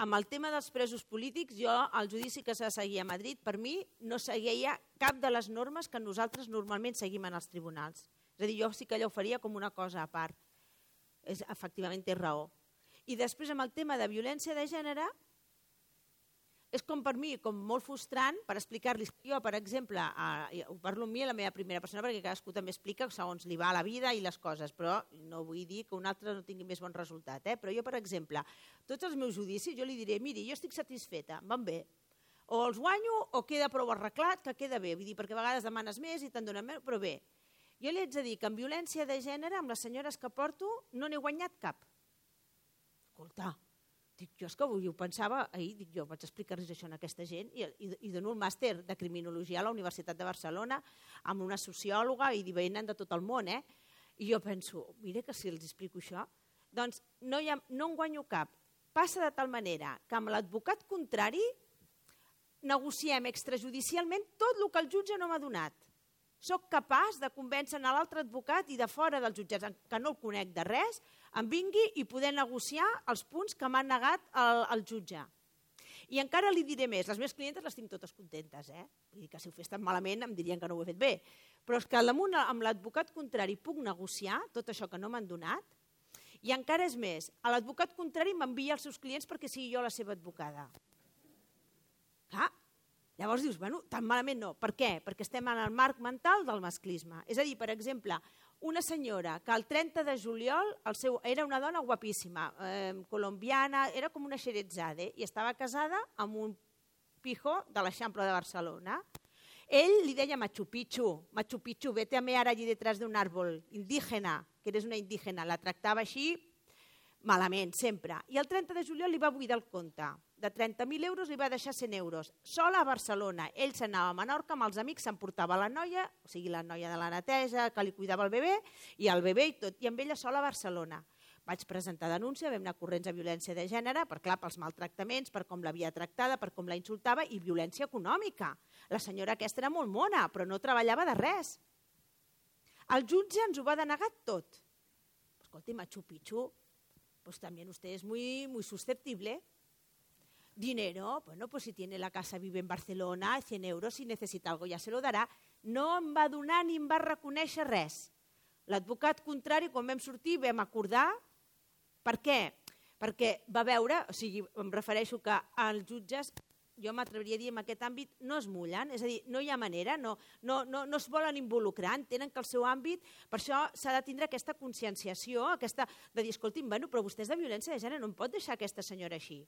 Amb el tema dels presos polítics, jo, el judici que s'ha de seguir a Madrid, per mi no seguia cap de les normes que nosaltres normalment seguim en els tribunals. És a dir, jo sí que allò ho faria com una cosa a part. Efectivament, té raó. I després, amb el tema de violència de gènere, és com per mi, com molt frustrant, per explicar-li. Jo, per exemple, ho parlo amb mi a la meva primera persona, perquè cadascú també explica segons li va la vida i les coses, però no vull dir que un altre no tingui més bon resultat. Però jo, per exemple, tots els meus judicis, jo li diré, miri, jo estic satisfeta, van bé. O els guanyo o queda prou arreglat, que queda bé. Vull dir, perquè a vegades demanes més i te'n donen més, però bé. Jo li haig de dir que en violència de gènere, amb les senyores que porto, no n'he guanyat cap. Escolta, dic, jo és que avui ho pensava, ahir dic, jo vaig explicar-los això a aquesta gent i dono el màster de criminologia a la Universitat de Barcelona amb una sociòloga i venen de tot el món, I jo penso, mira que si els explico això, doncs no en guanyo cap. Passa de tal manera que amb l'advocat contrari negociem extrajudicialment tot el que el jutge no m'ha donat. Soc capaç de convèncer l'altre advocat i de fora dels jutjats, que no el conec de res, em vingui i poder negociar els punts que m'ha negat el jutge. I encara li diré més, les meves clientes les tinc totes contentes, Vull dir que si ho fes tan malament em dirien que no ho he fet bé. Però és que damunt amb l'advocat contrari puc negociar tot això que no m'han donat i encara és més, l'advocat contrari m'envia els seus clients perquè sigui jo la seva advocada. Clar, llavors dius, bueno, tan malament no. Per què? Perquè estem en el marc mental del masclisme. És a dir, per exemple, una senyora que el 30 de juliol era una dona guapíssima, colombiana, era com una Xerezade, i estava casada amb un pijo de l'Eixample de Barcelona. Ell li deia Machu Picchu, vete a mear allí detrás de un árbol, indígena, que eres una indígena. La tractava així malament, sempre. I el 30 de juliol li va buidar el compte. De 30.000 euros li va deixar 100 euros. Sola a Barcelona. Ell s'anava a Menorca amb els amics, s'emportava la noia, o sigui, la noia de la neteja, que li cuidava el bebè, i el bebè i tot, i amb ella sola a Barcelona. Vaig presentar denúncia, vam anar corrents de violència de gènere, pels maltractaments, per com l'havia tractada, per com la insultava, i violència econòmica. La senyora aquesta era molt mona, però no treballava de res. El jutge ens ho va denegar tot. Escolti, Machu Picchu, pues también usted es muy susceptible. Dinero, bueno, pues si tiene la casa, vive en Barcelona, 100 euros, si necesita algo ya se lo darà. No em va donar ni em va reconèixer res. L'advocat contrari, quan vam sortir, vam acordar. Per què? Perquè va veure, o sigui, em refereixo que els jutges, jo m'atreviria a dir en aquest àmbit, no es mullen, és a dir, no hi ha manera, no es volen involucrar, entenen que el seu àmbit, per això s'ha de tindre aquesta conscienciació, de dir, escolti'm, però vostè és de violència de gènere, no em pot deixar aquesta senyora així.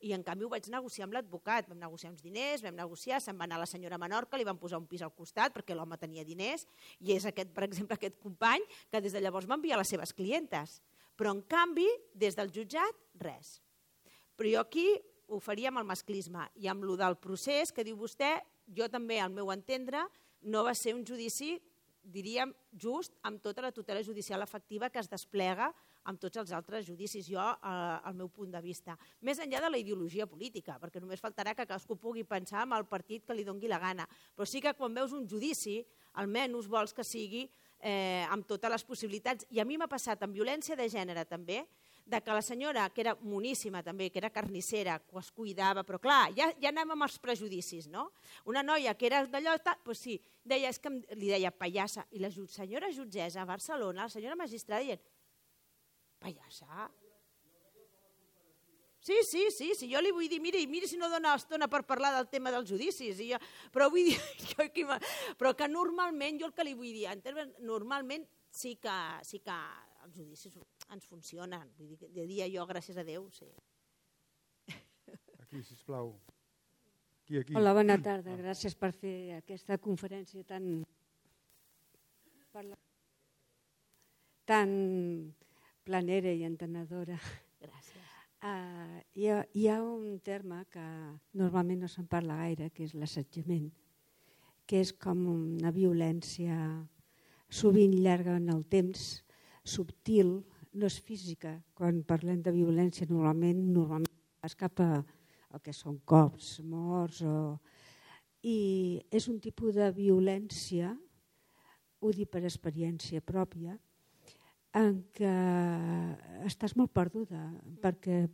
I en canvi ho vaig negociar amb l'advocat, vam negociar uns diners, se'n va anar la senyora a Menorca, li van posar un pis al costat perquè l'home tenia diners, i és per exemple, aquest company que des de llavors m'envia les seves clientes. Però en canvi, des del jutjat, res. Però jo aquí ho faria amb el masclisme i amb el del procés que diu vostè, jo també, al meu entendre, no va ser un judici, diríem, just amb tota la tutela judicial efectiva que es desplega amb tots els altres judicis, jo, al meu punt de vista. Més enllà de la ideologia política, perquè només faltarà que cadascú pugui pensar en el partit que li doni la gana. Però sí que quan veus un judici, almenys vols que sigui amb totes les possibilitats. I a mi m'ha passat amb violència de gènere també, de que la senyora, que era moníssima també, que era carnissera, que es cuidava, però clar, ja anem amb els prejudicis, no? Una noia que era d'allò, doncs sí, li deia pallassa, i la senyora jutgessa a Barcelona, la senyora magistrada, dient, pallassa? Sí, jo li vull dir, miri si no dona estona per parlar del tema dels judicis, però vull dir, però que normalment, jo el que li vull dir, normalment sí que els judicis ens funcionen, vull dir, de dia jo, gràcies a Déu, sí. Aquí, sisplau. Aquí. Hola, bona tarda, gràcies per fer aquesta conferència tan planera i entenedora. Gràcies. Hi ha un terme que normalment no se'n parla gaire, que és l'assetjament, que és com una violència sovint llarga en el temps, subtil, no és física. Quan parlem de violència normalment pas cap a el que són cops, morts. I és un tipus de violència, ho dic per experiència pròpia, en què estàs molt perduda, perquè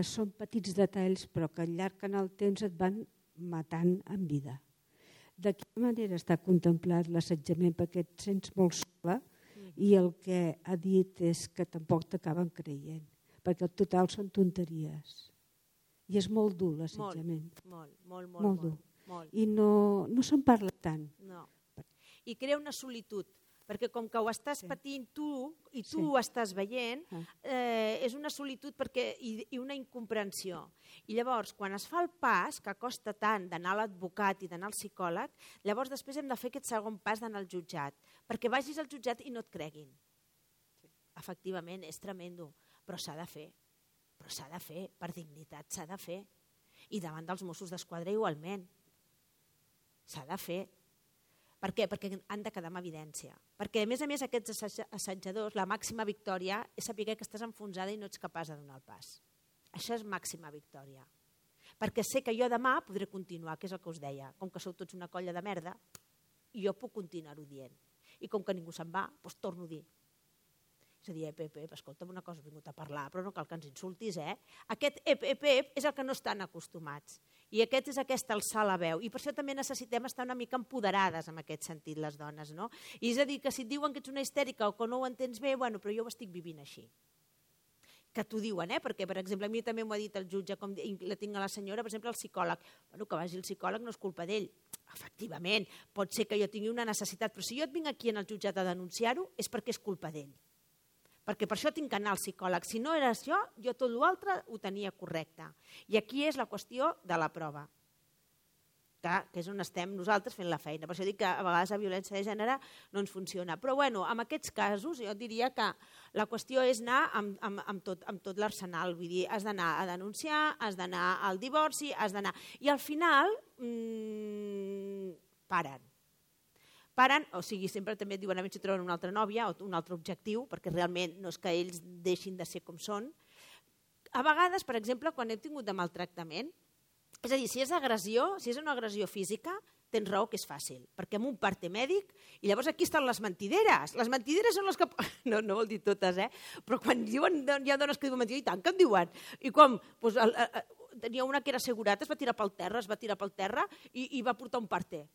són petits detalls però que al llarg en el temps et van matant en vida. De quina manera està contemplat l'assetjament? Perquè et sents molt sola i el que ha dit és que tampoc t'acaben creient, perquè al total són tonteries. I és molt dur l'assetjament. Molt dur. I no se'n parla tant. No. I crea una solitud, perquè com que ho estàs patint tu i tu ho estàs veient, és una solitud i una incomprensió. I llavors, quan es fa el pas, que costa tant d'anar a l'advocat i d'anar al psicòleg, llavors després hem de fer aquest segon pas d'anar al jutjat, perquè vagis al jutjat i no et creguin. Efectivament, és tremendo, però s'ha de fer. Però s'ha de fer, per dignitat s'ha de fer. I davant dels Mossos d'Esquadra igualment. S'ha de fer. Per què? Perquè han de quedar amb evidència. Perquè, a més, aquests assetjadors, la màxima victòria és saber que estàs enfonsada i no ets capaç de donar el pas. Això és màxima victòria. Perquè sé que jo demà podré continuar, que és el que us deia. Com que sou tots una colla de merda, jo puc continuar-ho dient. I com que ningú se'n va, doncs torno a dir. És a dir, escolta'm, una cosa, he vingut a parlar, però no cal que ens insultis, Aquest és el que no estan acostumats. I aquest és aquesta alçar la veu. I per això també necessitem estar una mica empoderades en aquest sentit, les dones, no? I és a dir, que si et diuen que ets una histèrica o que no ho entens bé, però jo ho estic vivint així. Que t'ho diuen, perquè, per exemple, a mi també m'ho ha dit el jutge, com la tinc a la senyora, per exemple, el psicòleg. Que vagi el psicòleg no és culpa d'ell. Efectivament, pot ser que jo tingui una necessitat, però si jo et vinc aquí en el jutjat a denunciar-ho, és perquè és culpa d'ell. Perquè per això tinc que anar al psicòleg. Si no era això, jo tot l'altre ho tenia correcte. I aquí és la qüestió de la prova, que és on estem nosaltres fent la feina. Per això dic que a vegades la violència de gènere no ens funciona. Però en aquests casos jo diria que la qüestió és anar amb tot l'arsenal. Vull dir, has d'anar a denunciar, has d'anar al divorci, has d'anar... I al final paren, o sigui, sempre també et diuen a veure si troben una altra nòvia o un altre objectiu, perquè realment no és que ells deixin de ser com són. A vegades, per exemple, quan hem tingut de maltractament, és a dir, si és agressió, si és una agressió física, tens raó que és fàcil, perquè amb un parte mèdic, i llavors aquí estan les mentideres. Les mentideres són les que... No vol dir totes, però quan diuen, hi ha dones que diuen mentida, i tant que en diuen. I com? Tenia una que era assegurat, es va tirar pel terra i va portar un parte.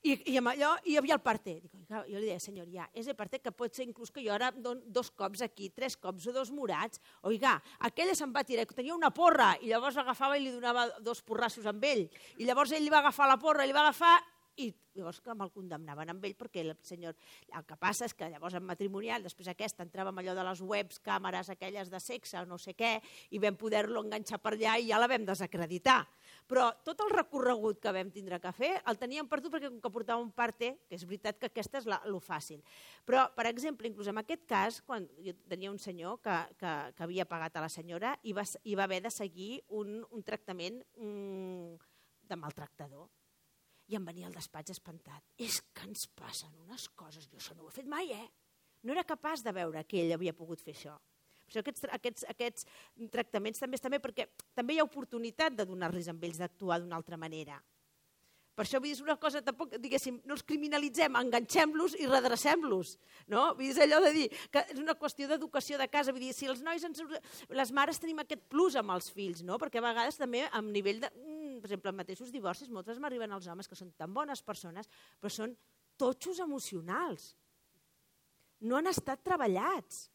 I amb allò hi havia el parte. Jo li deia, senyor, és el parte que pot ser inclús que jo ara dono 2 cops aquí, 3 cops o 2 morats. Oiga, aquella se'n va tirar, tenia una porra, i llavors l'agafava i li donava 2 porrassos amb ell. I llavors ell li va agafar la porra, i llavors que me'l condemnaven amb ell, perquè el senyor... El que passa és que llavors en matrimonial, després aquesta entrava amb allò de les webs, càmeres aquelles de sexe o no sé què, i vam poder-lo enganxar per allà i ja la vam desacreditar. Però tot el recorregut que vam tindre que fer el teníem perdut perquè com que portava un parte, que és veritat que aquesta és lo fàcil. Però, per exemple, inclús en aquest cas, quan jo tenia un senyor que havia pagat a la senyora i va haver de seguir un tractament de maltractador. I em venia al despatx espantat. És que ens passen unes coses, jo això no ho he fet mai, No era capaç de veure que ell havia pogut fer això. Per això aquests tractaments també estan bé, perquè també hi ha oportunitat de donar-los amb ells d'actuar d'una altra manera. Per això vull dir, és una cosa, tampoc, diguéssim, no els criminalitzem, enganxem-los i redrecem-los. No? Vull dir, és allò de dir que és una qüestió d'educació de casa. Vull dir, si els nois, les mares tenim aquest plus amb els fills, no? Perquè a vegades també a nivell de, per exemple, en mateixos divorcis, moltes m'arriben els homes que són tan bones persones, però són totxos emocionals. No han estat treballats.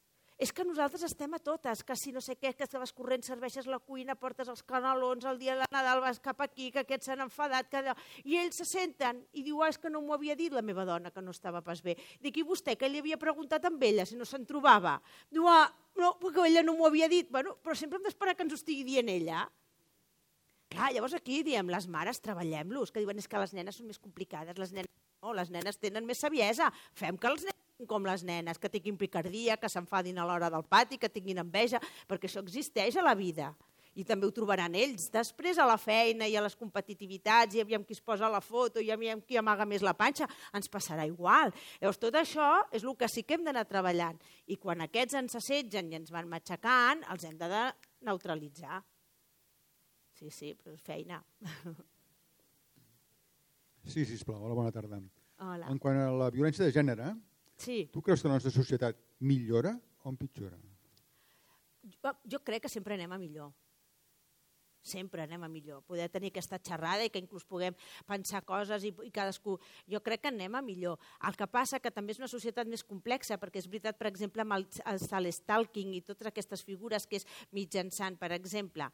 És que nosaltres estem a totes, que si no sé què, que vas corrent, serveixes la cuina, portes els canelons, el dia de Nadal vas cap aquí, que aquests s'han enfadat, i ells se senten i diu, és que no m'ho havia dit la meva dona, que no estava pas bé. Dic, i vostè, que li havia preguntat amb ella, si no se'n trobava? Diu, no, perquè ella no m'ho havia dit. Bueno, però sempre hem d'esperar que ens ho estigui dient ella. Clar, llavors aquí diem, les mares, treballem-los, que diuen, és que les nenes són més complicades, les nenes tenen més saviesa, fem que els nens com les nenes, que tinguin picardia, que s'enfadin a l'hora del pati, que tinguin enveja, perquè això existeix a la vida. I també ho trobaran ells. Després a la feina i a les competitivitats i aviam qui es posa la foto i aviam qui amaga més la panxa, ens passarà igual. Llavors tot això és el que sí que hem d'anar treballant. I quan aquests ens assetgen i ens van matxacant, els hem de neutralitzar. Sí, però és feina. Sí, sisplau, hola, bona tarda. Hola. En quant a la violència de gènere, Sí. tu creus que la nostra societat millora o empitjora? Jo crec que sempre anem a millor. Sempre anem a millor. Poder tenir aquesta xerrada i que inclús puguem pensar coses i cadascú... Jo crec que anem a millor. El que passa que també és una societat més complexa, perquè és veritat, per exemple, amb el stalking i totes aquestes figures que és mitjançant, per exemple,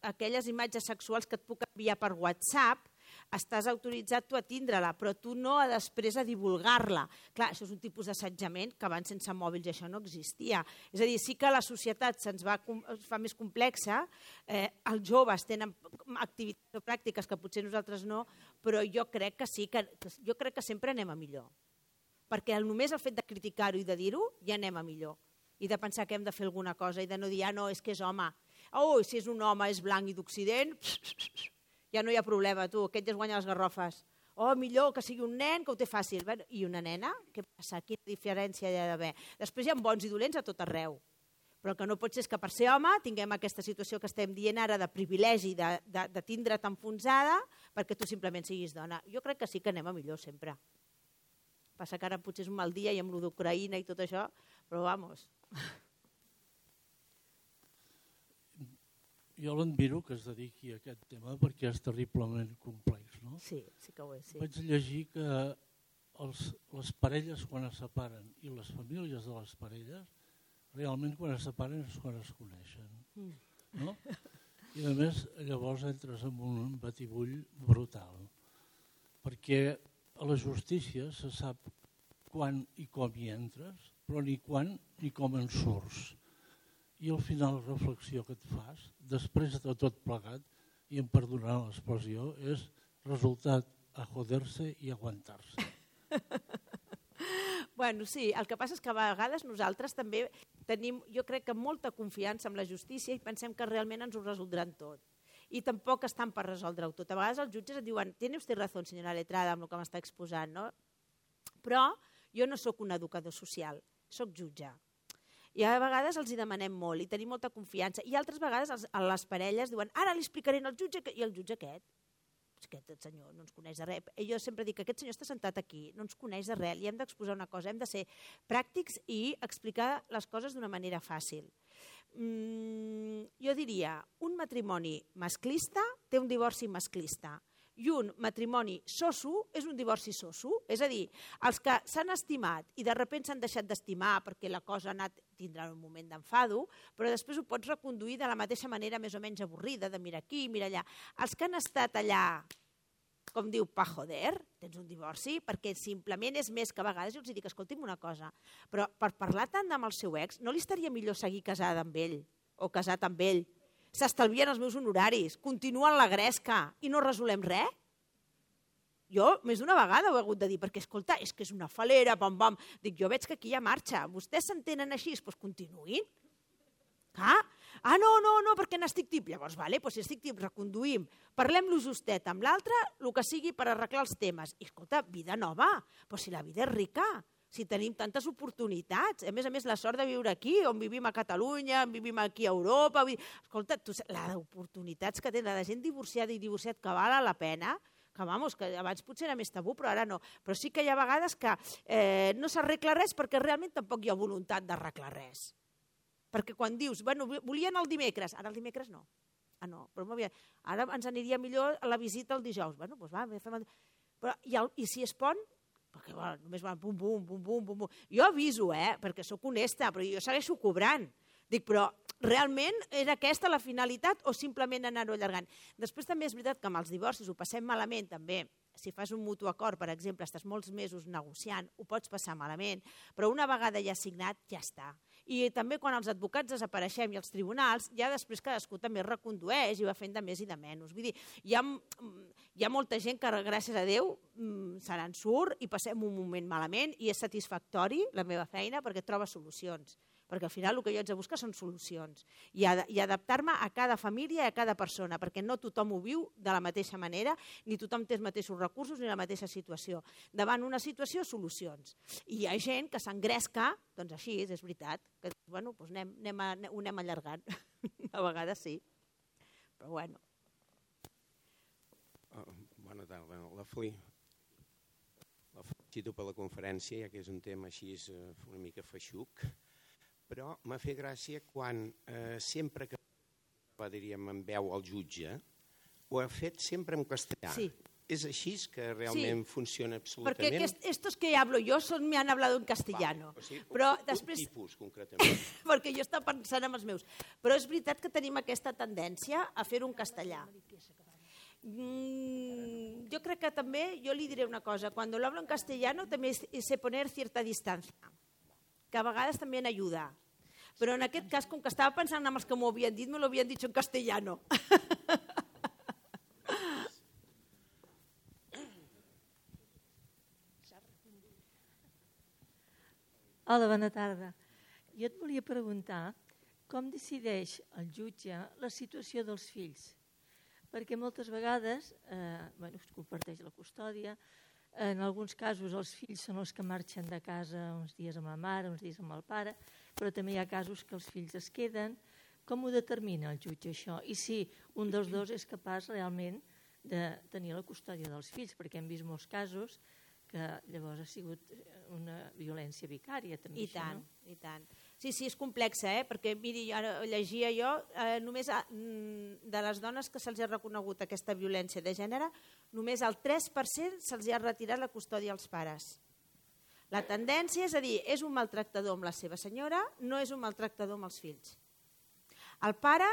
aquelles imatges sexuals que et puc enviar per WhatsApp, estàs autoritzat tu a tindre-la, però tu no a després a divulgar-la. Clar, això és un tipus d'assetjament que abans sense mòbils això no existia. És a dir, sí que la societat es fa més complexa, els joves tenen activitats o pràctiques que potser nosaltres no, però jo crec que sí, jo crec que sempre anem a millor. Perquè només el fet de criticar-ho i de dir-ho ja anem a millor. I de pensar que hem de fer alguna cosa i de no dir, no, és que és home. Oh, si és un home, és blanc i d'Occident, ja no hi ha problema, tu, aquest ja es guanya les garrofes. Oh, millor que sigui un nen, que ho té fàcil. I una nena? Què passa? Quina diferència hi ha d'haver? Després hi ha bons i dolents a tot arreu. Però el que no pot ser és que per ser home tinguem aquesta situació que estem dient ara de privilegi, de tindre't enfonsada, perquè tu simplement siguis dona. Jo crec que sí que anem a millor sempre. Passa que ara potser és un mal dia i amb lo d'Ucraïna i tot això, però vamos... Jo l'admiro que es dediqui a aquest tema perquè és terriblement complex. No? Sí, sí que ho és. Sí. Vaig llegir que les parelles quan es separen i les famílies de les parelles realment quan es separen és quan es coneixen. No? I a més llavors entres en un batibull brutal perquè a la justícia se sap quan i com hi entres, però ni quan ni com en surts. I al final la reflexió que et fas, després de tot plegat, i em perdonaran l'expressió, és resultat a joder-se i aguantar-se. Bueno, sí, el que passa és que a vegades nosaltres també tenim, jo crec que molta confiança en la justícia i pensem que realment ens ho resoldran tot. I tampoc estan per resoldre-ho tot. A vegades els jutges et diuen, tiene usted razón, senyora letrada, amb el que m'està exposant, no? Però jo no sóc un educador social, sóc jutge. I a vegades els hi demanem molt i tenim molta confiança. I altres vegades les parelles diuen ara li explicaré al jutge i el jutge aquest senyor no ens coneix de res. Jo sempre dic que aquest senyor està sentat aquí, no ens coneix de res, li hem d'exposar una cosa, hem de ser pràctics i explicar les coses d'una manera fàcil. Jo diria, un matrimoni masclista té un divorci masclista. I un matrimoni soso és un divorci soso. És a dir, els que s'han estimat i de sobte s'han deixat d'estimar perquè la cosa ha anat tindrà un moment d'enfado, però després ho pots reconduir de la mateixa manera més o menys avorrida, de mirar aquí, mirar allà. Els que han estat allà, com diu, pa joder, tens un divorci, perquè simplement és més que a vegades jo els dic, escolti'm una cosa, però per parlar tant amb el seu ex, no li estaria millor seguir casada amb ell o casat amb ell? S'estalvien els meus honoraris, continuen la gresca i no resolem res? Jo més d'una vegada ho he hagut de dir, perquè, escolta, és que és una falera, pam, pam. Dic, jo veig que aquí hi ha marxa. Vostès s'entenen així, doncs continuïn. No, perquè n'estic tip. Llavors, vale, si estic tip, reconduïm. Parlem-lo justet amb l'altre, el que sigui per arreglar els temes. I, escolta, vida nova, però si la vida és rica, si tenim tantes oportunitats, a més, la sort de viure aquí, on vivim a Catalunya, on vivim aquí a Europa, escolta, les oportunitats que tenen la gent divorciada i divorciat que val la pena, que abans potser era més tabú, però ara no. Però sí que hi ha vegades que no s'arregla res perquè realment tampoc hi ha voluntat d'arreglar res. Perquè quan dius, volien el dimecres, ara el dimecres no. Però ara ens aniria millor la visita el dijous. Doncs va, fem el... I si es pon, perquè només van bum, bum, bum, bum, bum, bum. Jo aviso, perquè sóc honesta, però jo segueixo cobrant. Dic, però realment era aquesta la finalitat o simplement anar-ho allargant? Després també és veritat que amb els divorcis ho passem malament també. Si fas un mutu acord, per exemple, estàs molts mesos negociant, ho pots passar malament, però una vegada ja signat, ja està. I també quan els advocats desapareixem i els tribunals, ja després cadascú també recondueix i va fent de més i de menys. Vull dir, hi ha molta gent que, gràcies a Déu, se n'en surt i passem un moment malament i és satisfactori la meva feina perquè troba solucions. perquè al final el que jo haig de buscar són solucions i adaptar-me a cada família i a cada persona, perquè no tothom ho viu de la mateixa manera, ni tothom té els mateixos recursos ni la mateixa situació. Davant una situació, solucions. I hi ha gent que s'engresca, doncs així és veritat, que bueno, doncs ho anem allargant. A vegades sí, però bueno. Bona tarda, la felicito per la conferència, ja que és un tema així una mica feixuc, però m'ha fet gràcia quan sempre que diríem en veu al jutge, ho ha fet sempre en castellà. Sí. ¿Es així que realment funciona absolutament? Porque estos que hablo yo me han hablado en castellano. Però després, tipus, concretament. Perquè jo estava pensant en els meus. Però és veritat que tenim aquesta tendència a fer-ho en castellà. Yo creo que també, yo le diré una cosa, cuando lo hablo en castellano también sé poner cierta distancia, que a vegades també ajuda. Però en aquest cas, com que estava pensant en els que m'ho havien dit, me lo havien dit en castellano. Hola, bona tarda. Jo et volia preguntar com decideix el jutge la situació dels fills. Perquè moltes vegades es comparteix la custòdia, en alguns casos els fills són els que marxen de casa uns dies amb la mare, uns dies amb el pare, però també hi ha casos que els fills es queden. Com ho determina el jutge això? I si un dels dos és capaç realment de tenir la custòdia dels fills, perquè hem vist molts casos que llavors ha sigut una violència vicària també. I tant, i tant. Sí, és complex, perquè miri, ara llegia jo, només de les dones que se'ls ha reconegut aquesta violència de gènere, només el 3% se'ls ha retirat la custòdia als pares. La tendència és a dir, és un maltractador amb la seva senyora, no és un maltractador amb els fills. El pare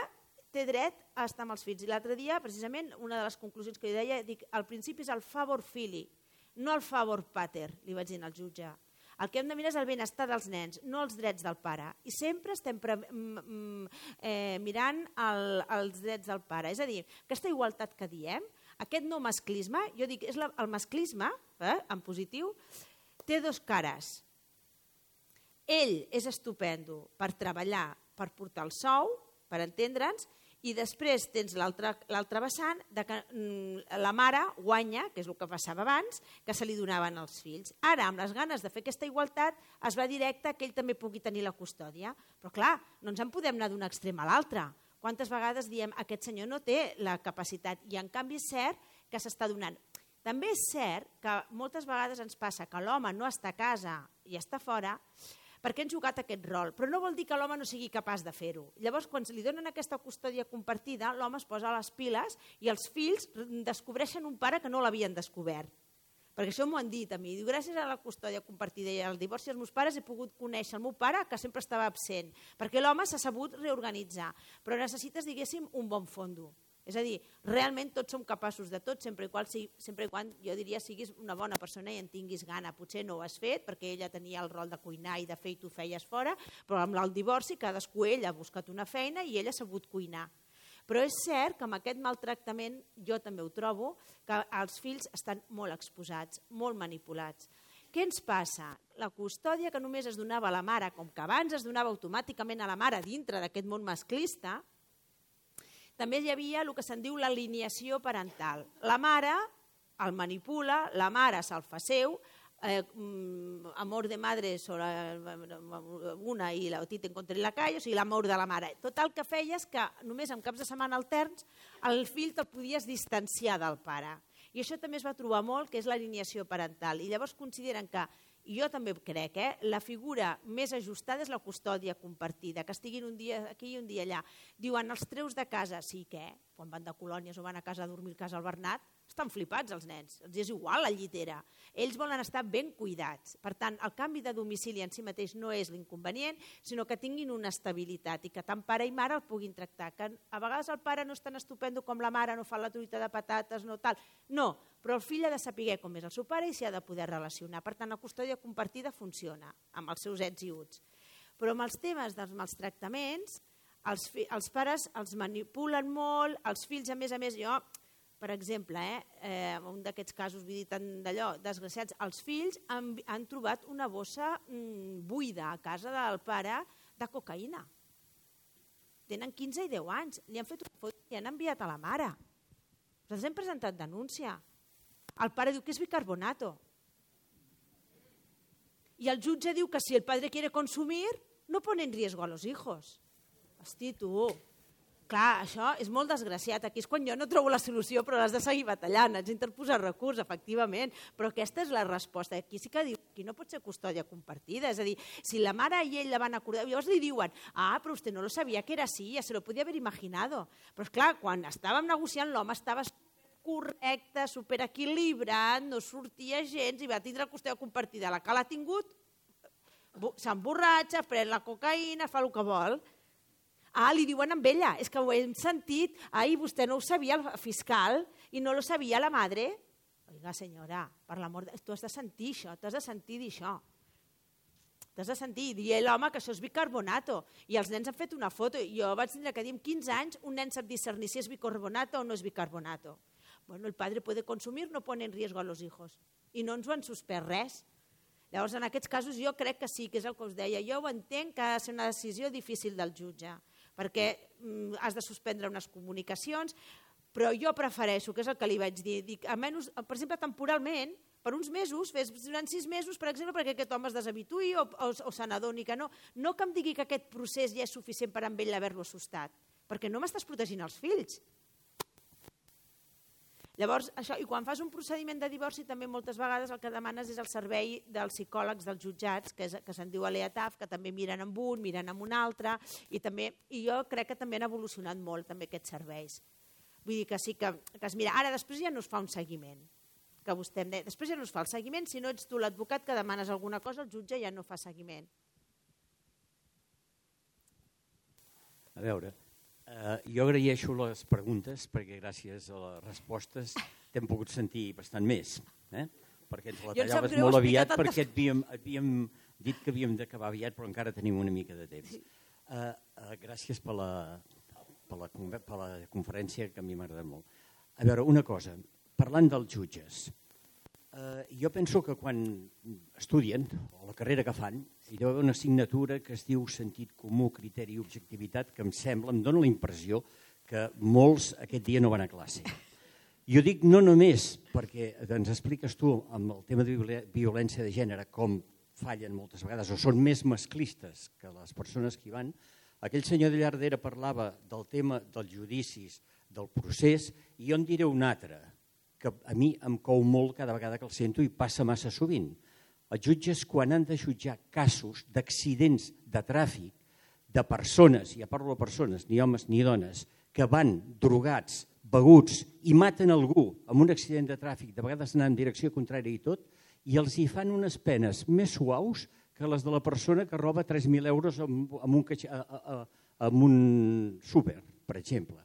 té dret a estar amb els fills. I l'altre dia, precisament, una de les conclusions que jo deia, dic, al principi és el favor fili, no el favor pater, li vaig dir al jutge. El que hem de mirar és el benestar dels nens, no els drets del pare. I sempre estem mirant els drets del pare. És a dir, aquesta igualtat que diem, aquest no masclisme, jo dic, el masclisme, en positiu, té dos cares. Ell és estupendo per treballar, per portar el sou, per entendre'ns, i després tens l'altre vessant que la mare guanya, que és el que passava abans, que se li donaven als fills. Ara, amb les ganes de fer aquesta igualtat, es va directe que ell també pugui tenir la custòdia. Però clar, no ens en podem anar d'un extrem a l'altre. Quantes vegades diem aquest senyor no té la capacitat i en canvi és cert que s'està donant. També és cert que moltes vegades ens passa que l'home no està a casa i està fora perquè han jugat aquest rol, però no vol dir que l'home no sigui capaç de fer-ho. Llavors, quan li donen aquesta custòdia compartida, l'home es posa a les piles i els fills descobreixen un pare que no l'havien descobert. Perquè això m'ho han dit a mi. Diu, gràcies a la custòdia compartida i al divorci dels meus pares he pogut conèixer el meu pare que sempre estava absent, perquè l'home s'ha sabut reorganitzar. Però necessites, diguéssim, un bon fondo. És a dir, realment tots som capaços de tot, sempre i quan jo diria siguis una bona persona i en tinguis gana. Potser no ho has fet perquè ella tenia el rol de cuinar i de fer i tu feies fora, però amb el divorci cadascú ell ha buscat una feina i ell ha sabut cuinar. Però és cert que amb aquest maltractament, jo també ho trobo, que els fills estan molt exposats, molt manipulats. Què ens passa? La custòdia que només es donava a la mare, com que abans es donava automàticament a la mare dintre d'aquest món masclista, també hi havia el que se'n diu l'alineació parental. La mare el manipula, la mare se'l fa seu, amor de madre sobre una i la tita encontré en la calle, o sigui, l'amor de la mare. Tot el que feia és que només en caps de setmana alterns el fill te'l podies distanciar del pare. I això també es va trobar molt, que és l'alineació parental. I llavors consideren que, i jo també crec, la figura més ajustada és la custòdia compartida, que estiguin un dia aquí i un dia allà. Diuen, els treus de casa, sí, què? Quan van de colònies o van a casa a dormir a casa al Bernat, estan flipats els nens, els és igual la llitera. Ells volen estar ben cuidats. Per tant, el canvi de domicili en si mateix no és l'inconvenient, sinó que tinguin una estabilitat i que tant pare i mare el puguin tractar. Que a vegades el pare no és tan estupendo com la mare, no fa la truita de patates, no tal. No, però el fill ha de saber com és el seu pare i s'hi ha de poder relacionar. Per tant, la custòdia compartida funciona amb els seus ets i uts. Però amb els temes dels maltractaments, els pares els manipulen molt, els fills, a més, jo... Per exemple, en un d'aquests casos, vull dir, tant d'allò, desgraciats, els fills han trobat una bossa buida a casa del pare de cocaïna. Tenen 15 i 10 anys. Li han fet una foto i han enviat a la mare. Nosaltres hem presentat denúncia. El pare diu que és bicarbonato. I el jutge diu que si el padre quiere consumir, no pone en riesgo a los hijos. Hosti, tu. Clar, això és molt desgraciat. Aquí és quan jo no trobo la solució, però l'has de seguir batallant, has d'interposar recurs, efectivament. Però aquesta és la resposta. Aquí sí que diu que no pot ser custòdia compartida. És a dir, si la mare i ell la van acordar, llavors li diuen, però usted no lo sabia que era así, ya se lo podía haber imaginado. Però esclar, quan estàvem negociant, l'home estava correcte, superequilibrat, no sortia gens i va tindre custòdia compartida. La que l'ha tingut s'emborratxa, pren la cocaïna, fa el que vol. Li diuen amb ella, és que ho hem sentit, vostè no ho sabia el fiscal i no lo sabia la madre. Oiga, senyora, per l'amor de... Tu has de sentir això, t'has de sentir dir això. T'has de sentir dir a l'home que això és bicarbonato. I els nens han fet una foto. Jo vaig tindre que dir, amb 15 anys, un nen sap discernir si és bicarbonato o no és bicarbonato. Bueno, el padre puede consumir, no pone en riesgo a los hijos. I no ens ho han suspès res. Llavors, en aquests casos, jo crec que sí, que és el que us deia. Jo ho entenc que ha de ser una decisió difícil del jutge, perquè has de suspendre unes comunicacions, però jo prefereixo, que és el que li vaig dir, dic, almenys, per exemple, temporalment, per uns mesos, durant 6 mesos, per exemple, perquè aquest home es deshabituï o se n'adoni que no. No que em digui que aquest procés ja és suficient per amb ell haver-lo assustat, perquè no m'estàs protegint els fills. Llavors, això, i quan fas un procediment de divorci, també moltes vegades el que demanes és el servei dels psicòlegs dels jutjats, que se'n diu ALEATAF, que també miren amb un, miren amb un altre, i jo crec que també han evolucionat molt també aquests serveis. Vull dir que sí que es mira. Ara, després ja no es fa un seguiment, que vostè em deia, després ja no es fa el seguiment, si no ets tu l'advocat que demanes alguna cosa, el jutge ja no fa seguiment. A veure, jo agraeixo les preguntes perquè gràcies a les respostes t'hem pogut sentir bastant més, perquè ens la tallaves molt aviat perquè havíem dit que havíem d'acabar aviat però encara tenim una mica de temps. Gràcies per la conferència que a mi m'ha agradat molt. A veure, una cosa, parlant dels jutges, jo penso que quan estudien, o la carrera que fan, hi deu haver una assignatura que es diu sentit comú, criteri i objectivitat, que em dona la impressió que molts aquest dia no van a classe. Jo dic no només perquè ens expliques tu amb el tema de violència de gènere com fallen moltes vegades o són més masclistes que les persones que hi van. Aquell senyor de Llardera parlava del tema dels judicis, del procés, i jo en diré un altre, que a mi em cou molt cada vegada que el sento i passa massa sovint. Els jutges, quan han de jutjar casos d'accidents de tràfic de persones, ja parlo de persones, ni homes ni dones, que van drogats, beguts i maten algú amb un accident de tràfic, de vegades anant en direcció contrària i tot, i els hi fan unes penes més suaus que les de la persona que roba 3.000 euros en un súper, per exemple.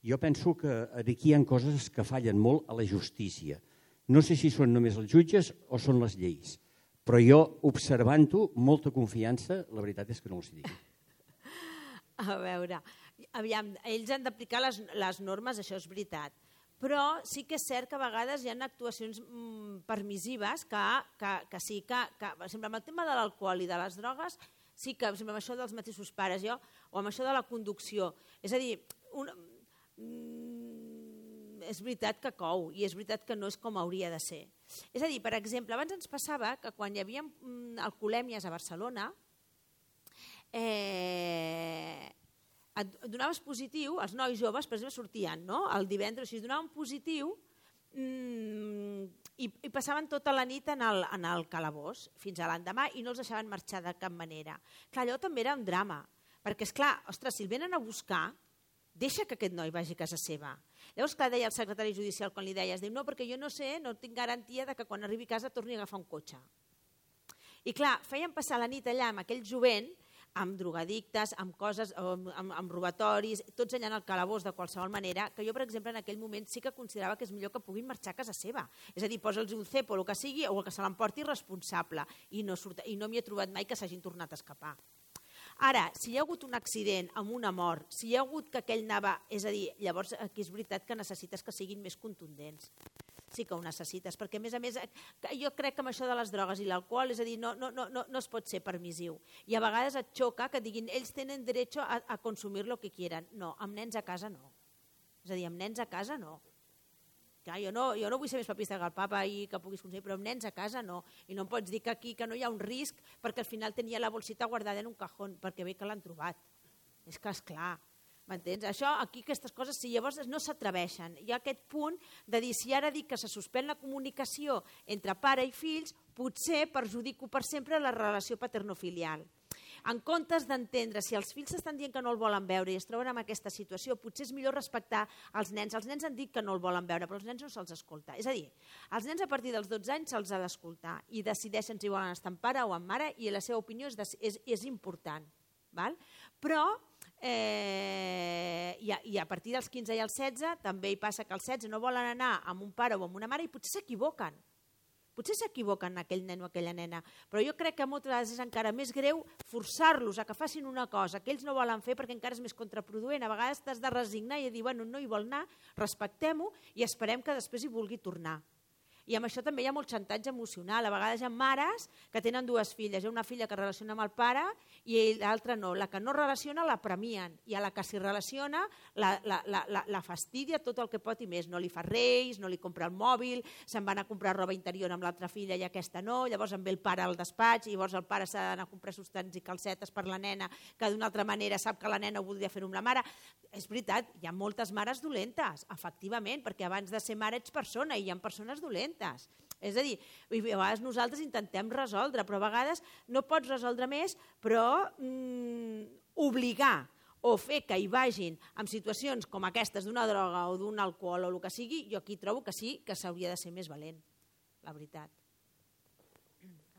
Jo penso que aquí hi ha coses que fallen molt a la justícia. No sé si són només els jutges o són les lleis, però jo, observant-ho, molta confiança, la veritat és que no els dic. A veure, aviam, ells han d'aplicar les normes, això és veritat, però sí que és cert que a vegades hi ha actuacions permissives que sí que, per exemple, amb el tema de l'alcohol i de les drogues, sí que, per exemple, amb això dels mateixos pares, o amb això de la conducció, és a dir, és veritat que cou i és veritat que no és com hauria de ser. És a dir, per exemple, abans ens passava que quan hi havia alcoholèmies a Barcelona donaves positiu, els nois joves, per exemple, sortien el divendres, si donaven positiu i passaven tota la nit en el calabós fins a l'endemà i no els deixaven marxar de cap manera. Clar, allò també era un drama, perquè, esclar, ostres, si el venen a buscar, deixa que aquest noi vagi a casa seva. Llavors, clar, deia el secretari judicial quan li deies, diu, no, perquè jo no sé, no tinc garantia de que quan arribi a casa torni a agafar un cotxe. I clar, feien passar la nit allà amb aquell jovent, amb drogadictes, amb coses, amb robatoris, tots allà en el calabós de qualsevol manera, que jo, per exemple, en aquell moment sí que considerava que és millor que puguin marxar a casa seva. És a dir, posa'ls un cepo o el que sigui, o el que se l'emporti responsable. I no m'hi he trobat mai que s'hagin tornat a escapar. Ara, si hi ha hagut un accident amb una mort, si hi ha hagut que aquell anava... És a dir, llavors aquí és veritat que necessites que siguin més contundents. sí que ho necessites, perquè a més, jo crec que amb això de les drogues i l'alcohol, és a dir, no es pot ser permissiu. I a vegades et xoca que diguin ells tenen dret a consumir lo que quieran. No, amb nens a casa no. És a dir, amb nens a casa no. Clar, jo no vull ser més papista que el papa i que puguis consumir, però amb nens a casa no. I no em pots dir que aquí que no hi ha un risc perquè al final tenia la bolsita guardada en un cajón, perquè bé que l'han trobat. És que esclar, m'entens? Això, aquí aquestes coses, si llavors no s'atreveixen. Hi ha aquest punt de dir, si ara dic que se suspèn la comunicació entre pare i fills, potser perjudico per sempre la relació paternofilial. En comptes d'entendre si els fills estan dient que no el volen veure i es troben en aquesta situació, potser és millor respectar els nens. Els nens han dit que no el volen veure, però els nens no se'ls escolta. És a dir, els nens a partir dels 12 anys se'ls ha d'escoltar i decideixen si volen estar amb pare o amb mare i la seva opinió és important. Val? Però i a partir dels 15 i els 16 també hi passa que els 16 no volen anar amb un pare o amb una mare i potser s'equivoquen. Potser s'equivoquen aquell nen o aquella nena, però jo crec que moltes vegades és encara més greu forçar-los a que facin una cosa que ells no volen fer perquè encara és més contraproduent. A vegades t'has de resignar i dir, bueno, no hi vol anar, respectem-ho i esperem que després hi vulgui tornar. I amb això també hi ha molt xantatge emocional. A vegades hi ha mares que tenen dues filles. Hi ha una filla que relaciona amb el pare i l'altra no. La que no relaciona la premien i a la que s'hi relaciona la fastidia tot el que pot i més. No li fa reis, no li compra el mòbil, se'n van a comprar roba interior amb l'altra filla i aquesta no, llavors en ve el pare al despatx i llavors el pare s'ha d'anar a comprar sostens i calcetes per la nena que d'una altra manera sap que la nena ho voldria fer amb la mare. És veritat, hi ha moltes mares dolentes, efectivament, perquè abans de ser mare ets persona i hi ha persones dolentes. És a dir, a vegades nosaltres intentem resoldre, però a vegades no pots resoldre més, però obligar o fer que hi vagin en situacions com aquestes d'una droga o d'un alcohol o el que sigui, jo aquí trobo que sí que s'hauria de ser més valent, la veritat.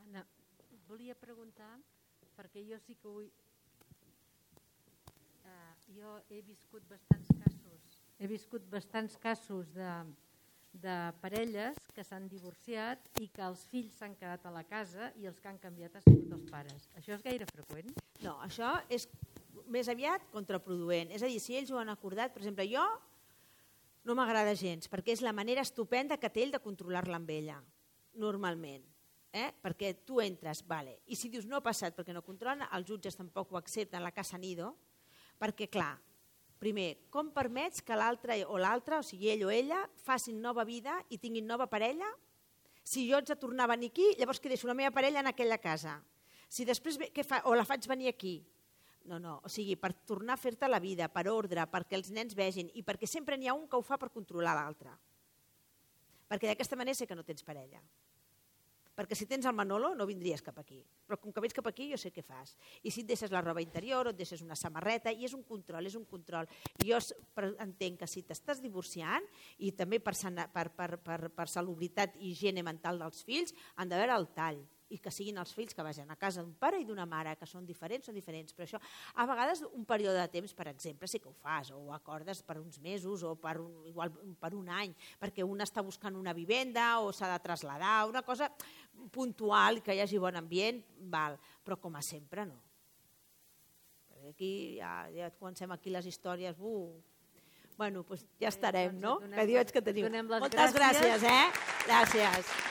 Anna, volia preguntar, perquè jo sí que vull... Jo he viscut bastants casos de parelles que s'han divorciat i que els fills s'han quedat a la casa i els que han canviat han sigut els pares. Això és gaire freqüent? No, això és més aviat contraproduent. És a dir, si ells ho han acordat, per exemple, jo no m'agrada gens, perquè és la manera estupenda que té ell de controlar-la amb ella, normalment. Perquè tu entres, vale, i si dius no ha passat perquè no controlen, els jutges tampoc ho accepten, la casa nido, perquè clar, primer, com permets que l'altre o l'altra, o sigui ell o ella, facin nova vida i tinguin nova parella? Si jo haig de tornar a venir aquí, llavors que deixo la meva parella en aquella casa. Si després, o la faig venir aquí? No, o sigui, per tornar a fer-te la vida, per ordre, perquè els nens vegin i perquè sempre n'hi ha un que ho fa per controlar l'altre. Perquè d'aquesta manera sé que no tens parella. Perquè si tens el Manolo no vindries cap aquí, però com que vens cap aquí jo sé què fas. I si et deixes la roba interior o et deixes una samarreta, i és un control. I jo entenc que si t'estàs divorciant i també per salubritat i higiene mental dels fills han d'haver el tall i que siguin els fills que vagin a casa d'un pare i d'una mare, que són diferents, però això a vegades un període de temps, per exemple, sí que ho fas, o ho acordes per uns mesos o igual per un any, perquè un està buscant una vivenda o s'ha de traslladar, una cosa puntual, que hi hagi bon ambient, val, però com a sempre no. Aquí ja comencem aquí les històries, bueno, doncs ja estarem, no? Que diu que teniu. Moltes gràcies, Gràcies.